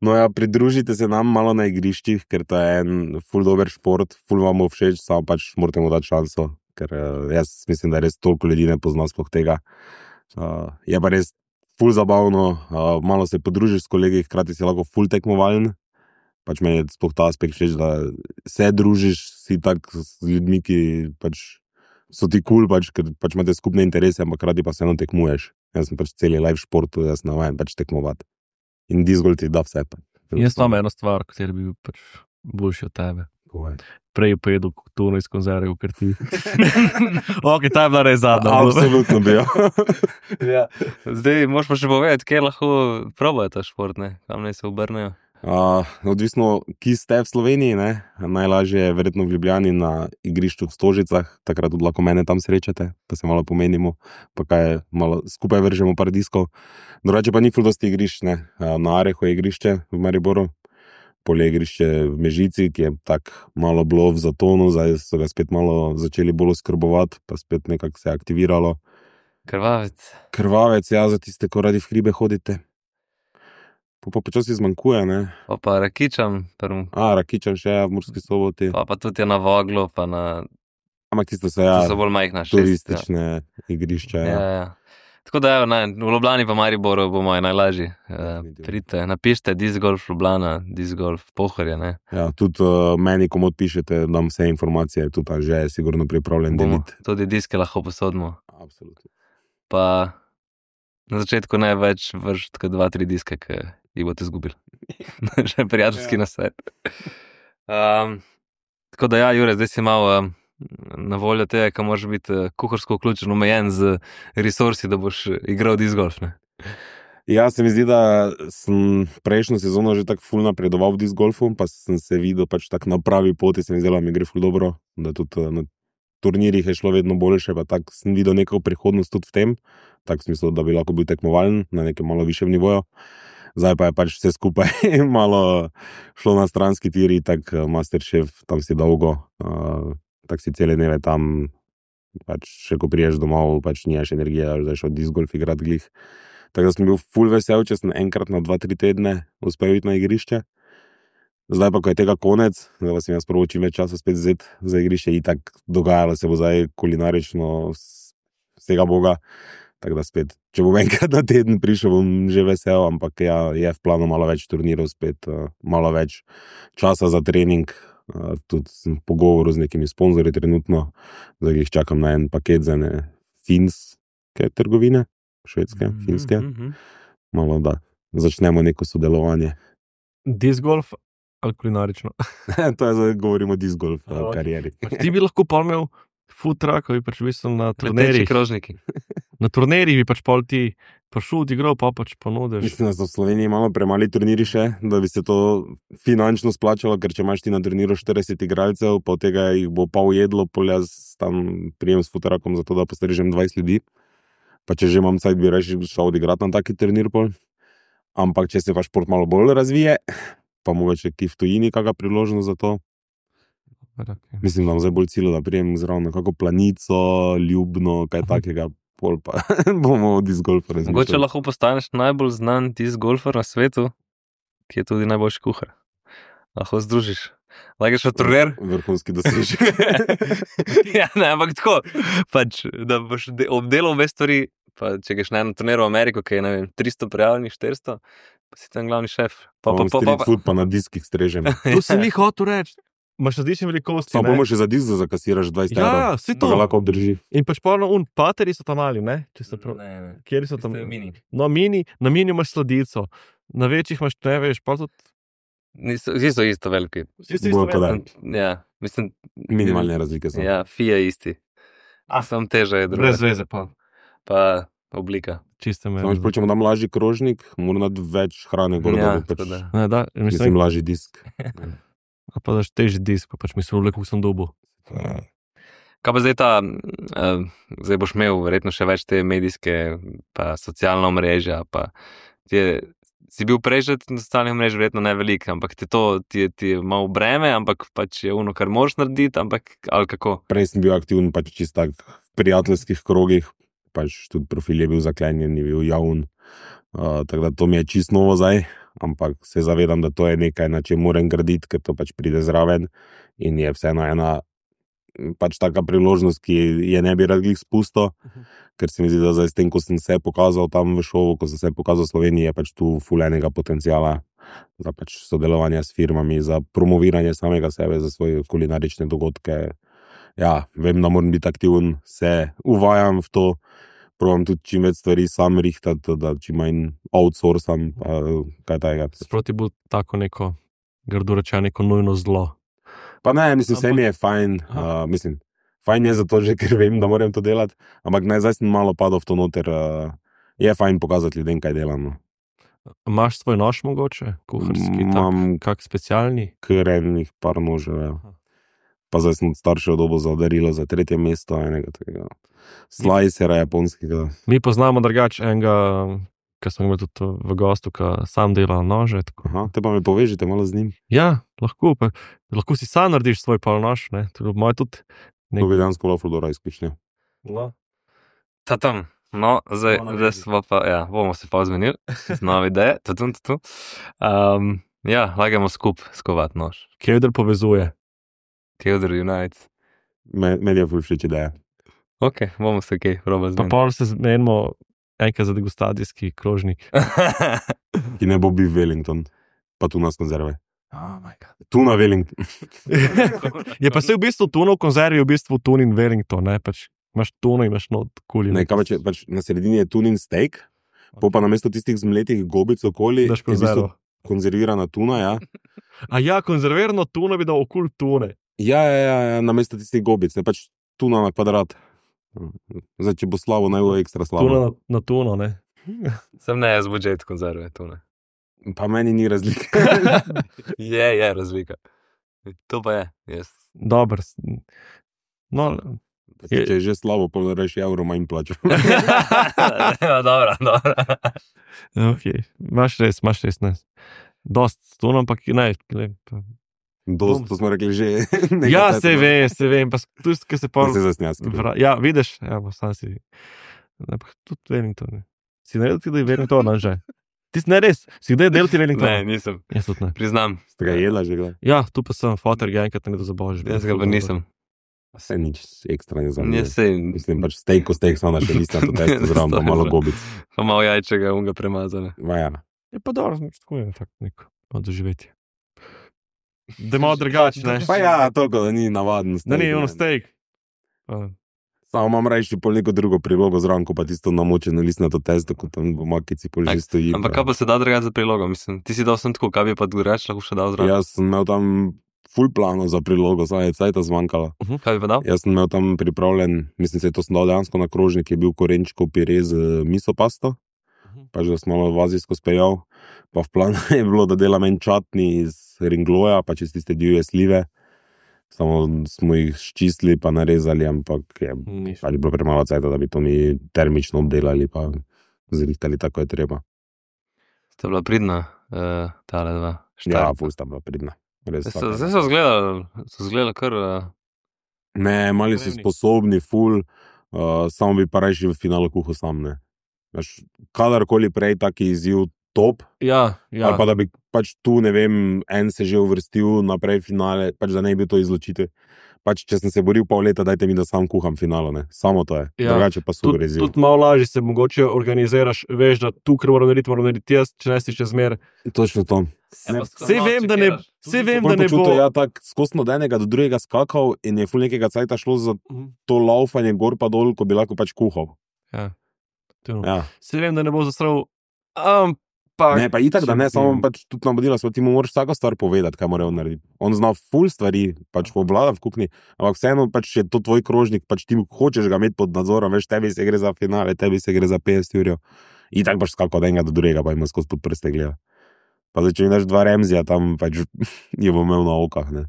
No ja, pridružite se nam malo na igriščih, ker to je en ful dober šport, ful vam bo všeč, samo pač morate mu dati šanso, ker jaz mislim, da res toliko ljudi ne pozna sploh tega. Je pa res ful zabavno, malo se podružiš s kolegi, hkrati si lahko ful tekmovalen. Pač meni je sploh ta aspekt všeč, da se družiš, si tak z ljudmi, ki pač so ti cool, pač, ker pač imate skupne interese, ampak krati pa se eno tekmuješ. Jaz sem pač celi live športu, jaz navajen pač tekmovati. In disc golf ti da vse. Jaz imam eno stvar, kateri bi bil pač boljši od tebe. Prej pojedel tuno iz konzerve, ker ti. Ok, ta je bila res zadnja. Absolutno bi jo. Ja. Zdaj, moš pa še povedati, kje lahko probajo ta šport, ne? Kam naj se obrnejo? Odvisno, ki ste v Sloveniji, ne? Najlažje je verjetno v Ljubljani na igrišču v Stožicah, takrat tudi lahko mene tam srečate, pa se malo pomenimo, pa kaj malo skupaj vržemo par diskov. Drugače pa ni ful dosti igrišč, ne? Na Arehu je igrišče v Mariboru, polje igrišče v Mežici, ki je tak malo bilo v zatonu, zdaj so ga spet malo začeli bolj skrbovati, pa spet nekako se je aktiviralo. Krvavec, ja, za tiste, ko radi v hribe hodite. Pa počasi zmanjkuje, ne? Pa Rakičan. Rakičan še je v Murski Soboti. Pa tudi je na Voglu, pa na. Ampak tisto so, ja, so bolj majhna turistične igrišča, ja. Ja. Tako da, v Ljubljani pa Mariboru bo moje najlažji. Pridite, napišite disc golf Ljubljana, disc golf Pohorje, ne? Ja, tudi meni, komu odpišete, dam vse informacije, tudi že je sigurno pripravljen deliti. Tudi diske lahko posodimo. Absolutno. Pa na začetku ne več vrš tako 2-3 diske, ki jih boste izgubili. Že prijateljski nasvet. Tako da ja, Jure, zdaj si malo na voljo tega, ka moraš biti kuharsko vključen, omejen z resursi, da boš igral disc golf, ne? Ja, se mi zdi, da sem prejšnjo sezono že tako ful napredoval v disc golfu, pa sem se videl pač tako na pravi poti, se mi zdelo, mi gre ful dobro, da tudi na turnirjih je šlo vedno boljše, pa tako sem videl neko prihodnost tudi v tem, tako v smislu, da bi lahko bil tekmovalen na nekem malo višjem nivoju. Zdaj pa je pač vse skupaj malo šlo na stranski tiri, tako Masterchef, tam si dolgo, tako si cele dneve tam, pač še ko priješ domov, pač nimaš energije, da zdaj šel disc golf igrat glih. Tako da sem bil ful vesel, če sem enkrat na 2-3 tedne uspel iti na igrišče. Zdaj pa, ko je tega konec, zdaj pa sem jaz prvo čim več časa spet vzet za igrišče in tako dogajalo se bo zdaj kulinarično vsega boga. Tako da spet, če bom enkrat na teden prišel, bom že vesel, ampak ja, je v planu malo več turnirov spet, malo več časa za trening. Tudi sem v pogovoru z nekimi sponzorji trenutno, zdaj jih čakam na en paket za ene finske trgovine. Švedske, finske, malo da začnemo neko sodelovanje. Disc golf ali kulinarično? To je zdaj, govorimo o disc golf karieri. Ti bi lahko imel food truck, bi pač bil na turnirjih. Krožniki. Na turnirjih bi pač pol ti prišel, igral, pa pač ponudiš. Mislim, da so v Sloveniji malo premali turniri še, da bi se to finančno splačalo, ker če imaš ti na turniru 40 igralcev, pa od tega jih bo pa ujedlo, pol jaz tam prijem s food truckom za to, da postrežem 20 ljudi. Pa če že imam cajt, bi reči, šel odigrati na taki turnir pol. Ampak če se pa šport malo bolj razvije, pa mogoče ki v tujini kakšna priložnost za to. Mislim, da zdaj bolj cilj, da prijem zraven kako Planico, Ljubno, kaj takega, pol pa bomo disc golfa razmišljali. Mogoče lahko postaneš najbolj znan disc golfer na svetu, ki je tudi najboljši kuhar. Lahko združiš. Lagaš v turnir? Vrhunski dosežek. Ja, ne, ampak tako, pač, da boš obdelal obe stvari, pa če greš na eno turnir v Ameriko, ki je, ne vem, 300 prijavljenih, 400, pa si tam glavni šef. Street food pa na diskih strežem. To si mi hotel reči. Imaš različne velikosti. Pa bomo še za disk, da zakasiraš 20 evrov. Ja, vsi to. Da ga lahko obdrži. In pač polno pateri so tam mali, ne? Ne. Kjeri so tam? Mini. No, na mini imaš sladico, na večjih imaš ne veš, pa tudi. Vsi so isto veliki. Ja, mislim. Minimalne razlike so. Ja, fija isti. Sam teža je druga. Brez veze pa. Pa oblika. Čiste me. Samo če mu dam lažji krožnik, mora dati več hrane gor, Ja, da bo pač, tako da. Ne, da, mislim, lažji disk. A pa daš težji disk, pa pač mislim, kako sem dobil. Kaj pa zdaj zdaj boš imel verjetno še več te medijske, pa socialna omrežja, pa si bil prej že na socialnih omrežjih verjetno ne velik, ampak ti je malo breme, ampak pač je ono, kar moraš narediti, ampak ali kako? Prej sem bil aktiven pač čisto tak v prijateljskih krogih, pač tudi profil je bil zaklenjen, je bil javn, tako da to mi je čisto novo zdaj, ampak se zavedam, da to je nekaj, na čem moram graditi, ker to pač pride zraven in je vseeno ena pač taka priložnost, ki je ne bi rad glih spustil, ker se mi zdi, da zdaj s tem, ko sem se pokazal tam v šovu, ko sem se pokazal v Sloveniji, je pač tu ful enega potenciala za pač sodelovanje s firmami, za promoviranje samega sebe, za svoje kulinarične dogodke. Ja, vem, da moram biti aktiven, se uvajam v to, probam tudi čim več stvari sam rihtati, da čim manj outsourcam, kaj tajega. Sproti bo tako neko, grdo reče, neko nujno zlo. Pa ne, mislim, vse mi je fajn, mislim, fajn je zato že, ker vem, da moram to delati, ampak ne, zdaj sem malo padal v to noter, je fajn pokazati ljudem, kaj delam. No. Imaš svoj nož mogoče, kuharski, Imam kak specialni? kar enih par nožev, ja. Pa zdaj sem od staršev dobil za darilo za 3. mesto, enega tega slicera japonskega. Mi poznamo drugače enega, ki smo imeli tudi v gostu, ki sam dela nože. Tako. Aha, te pa me povežite malo z njim. Ja, lahko si sam narediš svoj polnož, ne? Moj tudi. To bi dejansko bilo ful dobra izkušnja. No. Ta tam. No, zdaj smo pa, ja, bomo se pa zmenili, nove ideje, ja, lagamo skovat nož. Kevder povezuje. Kevder United. Meni je ful všeč ideja. Ok, bomo se kaj proba Pa zmeniti. pol se zmenimo enkrat za degustacijski krožnik. Ki ne bo bil Wellington, pa tuna s konzerve. Oh my God. Tuna Wellington. Je pa se v bistvu tuna v konzervi, v bistvu tunin Wellington, ne, pač imaš tuno, imaš not kuli. Ne, kaj pa če pač na sredini je tunin steak, pa namesto tistih zmletih gobic okoli, Daš je v bistvu konzervo. konzervirana tuna, ja. A ja, konzervirano tuno bi dal okul tune. Ja, namesto tistih gobic, ne pač tuna na kvadrat. Zdaj, če bo slabo, naj bo ekstra slabo. Tuna na tuno, ne? Sem ne jaz budžet konzerve, to ne. Pa meni ni razlike. Je razlika. To pa je, jaz. Dober. No, Če je že slabo, pa reši evro manj plačo. Dobro. okay. Imaš res, ne. Dost s tuno, ampak ne. Dost, to smo rekli že. Ja, se vem, pa tudi, ko se Pa se zasnjas. Ja, vidiš, ja, pa sam si. Ne, pa tudi Wellington. Si naredil tudi Wellington, že? Ti si ne res, si kdaj delal ti Wellington? Ne, nisem. Jaz tudi ne. Priznam. Ste ga jedla že, gledaj? Ja, tu pa sem, fotor ga enkrat ne do zabožiš. Jaz ga pa nisem. Vse nič ekstra ne znam. Jaz sej, Mislim, pač steak samo naše liste, to testo zraven, pa malo gobic. pa malo jajčega, unga premazane. Ja. Je pa dobro, tako je tako neko doživetje. Da je malo drugače, ne? Pa ja, toliko, da ni navaden steak. Da ni ono steak. Samo imam reči pol neko drugo prilogo zraven, ko pa tisto namočeno listnato testo, ko tam v makici pol že stoji. Ampak kaj pa se da drugače za prilogo, mislim? Ti si dal sem tako, kaj bi pa drugače lahko še dal zraven? Jaz sem imel tam ful plano za prilogo, saj je cajta zmanjkala. Kaj bi pa dal? Jaz sem imel tam pripravljen, mislim se, to sem dal dejansko na krožnik, je bil korenčkov pire z miso pasto, pač da sem malo vazijsko speljal, pa v planu je bilo, da delam en čatni iz ringloja, pač iz tiste divje slive, samo smo jih ščistili pa narezali, ampak je pač bilo premalo cajta, da bi to mi termično obdelali pa zrihtali tako je treba. Sta bila pridna, tale dva. Ja, ful sta bila pridna. Zdaj so zgledali kar... Ne, mali so sposobni, ful, samo bi pa reči v finalu kuhal sam, ne. Kadarkoli prej taki izziv top, Ja. ali pa da bi pač tu, ne vem, en se že uvrstil naprej finale, pač da ne bi to izločiti. Pač, če sem se boril pol leta, dajte mi, da sam kuham finalo, ne. Samo to je. Ja. Drugače pa super izziv. Tudi malo lažje se mogoče organiziraš, veš, da tu, ker moram narediti jaz, če ne si še zmer. Točno to. Sej vem, da ne bo. Počutil, ja, tak skosno od enega do drugega skakal in je ful nekega cajta šlo za to laufanje gor pa dol, ko bi lahko pač kuhal. Ja. Ja. Sej vem, da ne bo zasral, ampak... Ne, pa itak, da ne, samo pač tudi navodila smo, ti mu moraš vsako stvar povedati, kaj mora on narediti. On zna ful stvari, pač povlada v kuhinji, ampak vseeno pač je to tvoj krožnik, pač ti hočeš ga imeti pod nadzorom, veš, tebi se gre za finale, tebi se gre za 50 jurjev. Itak pač skako od enega do drugega, pa ima skozi pod prste gleda. Pa zdaj, če mi daš 2 Remzija, tam pač je bo imel na okah, ne.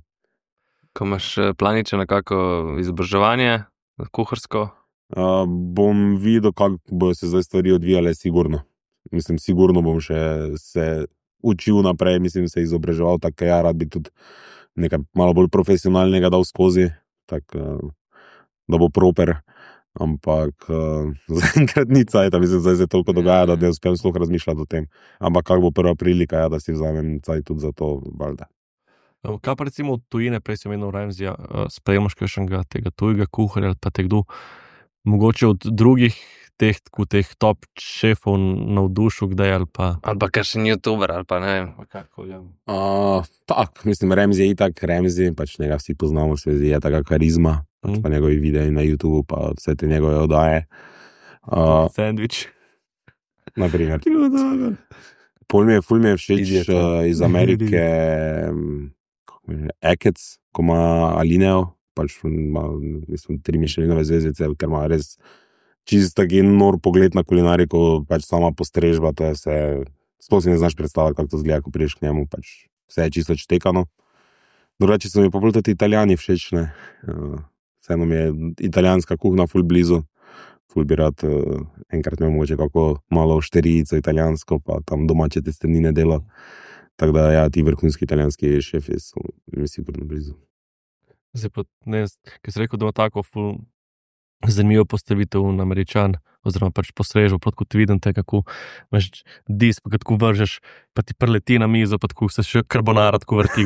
Ko imaš planiče nekako izobraževanje, kuharsko? Bom videl, kako bojo se zdaj stvari odvijale, sigurno. Mislim, sigurno bom še se učil naprej, mislim, se izobraževal, tako ja, rad bi tudi nekaj malo bolj profesionalnega dal skozi, tako da bo proper, ampak zaenkrat ni cajta, mislim, zdaj se toliko dogaja, da ne uspem sploh razmišljati o tem. Ampak kako bo prva prilika, ja, da si vzamem cajt tudi za to, valjda. Kaj pa recimo od tujine, prej sem imel Remzija, sprejemaš kakšnega tega tujega kuharja ali pa te kdo, mogoče od drugih teh top šefov navdušil kdaj ali pa... Ali pa kakšen youtuber, ali pa ne vem. Tak, mislim, Remzi je itak Remzi, pač njega vsi poznamo, se zdi, je taka karizma, pač pa njegovi videi na YouTubeu, pa vse te njegove oddaje. Sandwich. Naprimer. Ful mi je všeč iz Amerike Ekec, ko ima Alineo, pač ima, mislim, 3 Michelinove zvezdice, ker ima res čist taki nor pogled na kulinariko, pač sama postrežba, to je vse, sploh si ne znaš predstavljati, kako to zgleda, ko prideš k njemu, pač vse je čisto čtekano. Drugače so mi pa bolj tudi Italijani všeč, ne. Vseeno mi je italijanska kuhna ful blizu, ful bi rad enkrat imel mogoče kako malo šterijico italijansko, pa tam domače testenine dela. Tako da ja, ti vrhunski italijanski šefi so mi sigurno blizu. Zdaj pa, ne, ker si rekel, da ima tako ful zanimivo postavitev na Američan, oziroma pač postrežbo, kot ti vidim te, kako imaš dis, pa kako vržeš, pa ti preleti na mizo, pa tako se še karbonara tako vrti.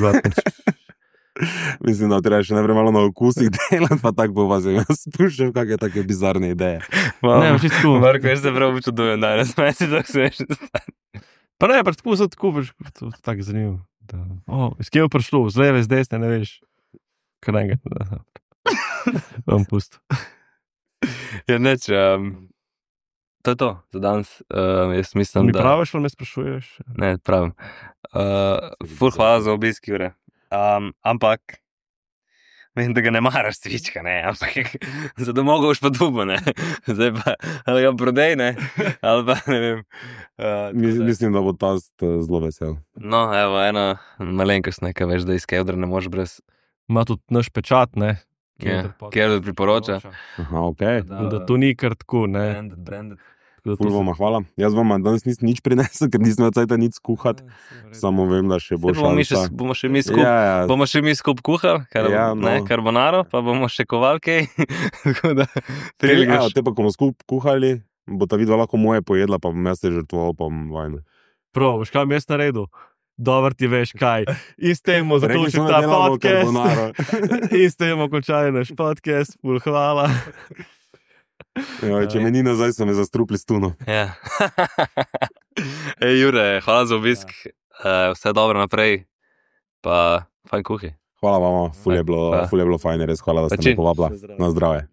Mislim, da treba še najprej malo na okusih delati, pa tako bo vas jaz spuščal, kakšne take bizarne ideje. Ne, pač tako. Marko, jaz se prav počudujem danes, meni si tako smeš. Pa ne, pač tako so tako, pač tako zanimivo. Iz kje je prišlo, z leve, z desne, ne veš. Kar enega. Vam pusto. Ja, neč, to je to za danes. Jaz mislim, Mi praviš, ali me sprašuješ? Ne, pravim. Ful hvala za obisk, Jure. Ampak vem, da ga ne maraš cvička, ne, ampak za domov boš pa dubo, ne. Zdaj pa, ali ga prodej, ne, ali pa, ne vem. Mislim, da bo ta zelo vesel. No, evo, ena malenkost, ne, kaj veš, da iz Kevdra ne moreš brez, Ima tudi naš pečat, ne? Kevdr priporoča. Aha, ok. Da to ni kar tako, ne? Branded. Tako da Ful to vama hvala. Jaz vam danes nisem nič prinesel, ker nisem več cajta nič skuhati. Samo vem, da še bo šalca. Bomo še mi skup, bomo še mi skup kuhali, karbonaro, pa bomo še kovalke. Tako da, Te pa, ko bomo skup kuhali, bo ta videla lahko moje pojedla, pa bom jaz se žrtvoval, pa bom vajno. Prav, veš kaj jaz naredil? Dobar ti veš kaj. In s tem bomo zaključili ta podcast. In s tem bomo končali naš podcast. Ful hvala. Če me ni nazaj, so me zastrupli s tuno. Ja. Ej, Jure, hvala za obisk. Vse dobro naprej. Pa fajn kuhi. Hvala vama, ful je bilo fajn, res hvala, da ste me povabila. Na zdravje.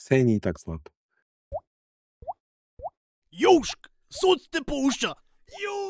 Sej ni tak slab. Južk, sod te pušča. Južk.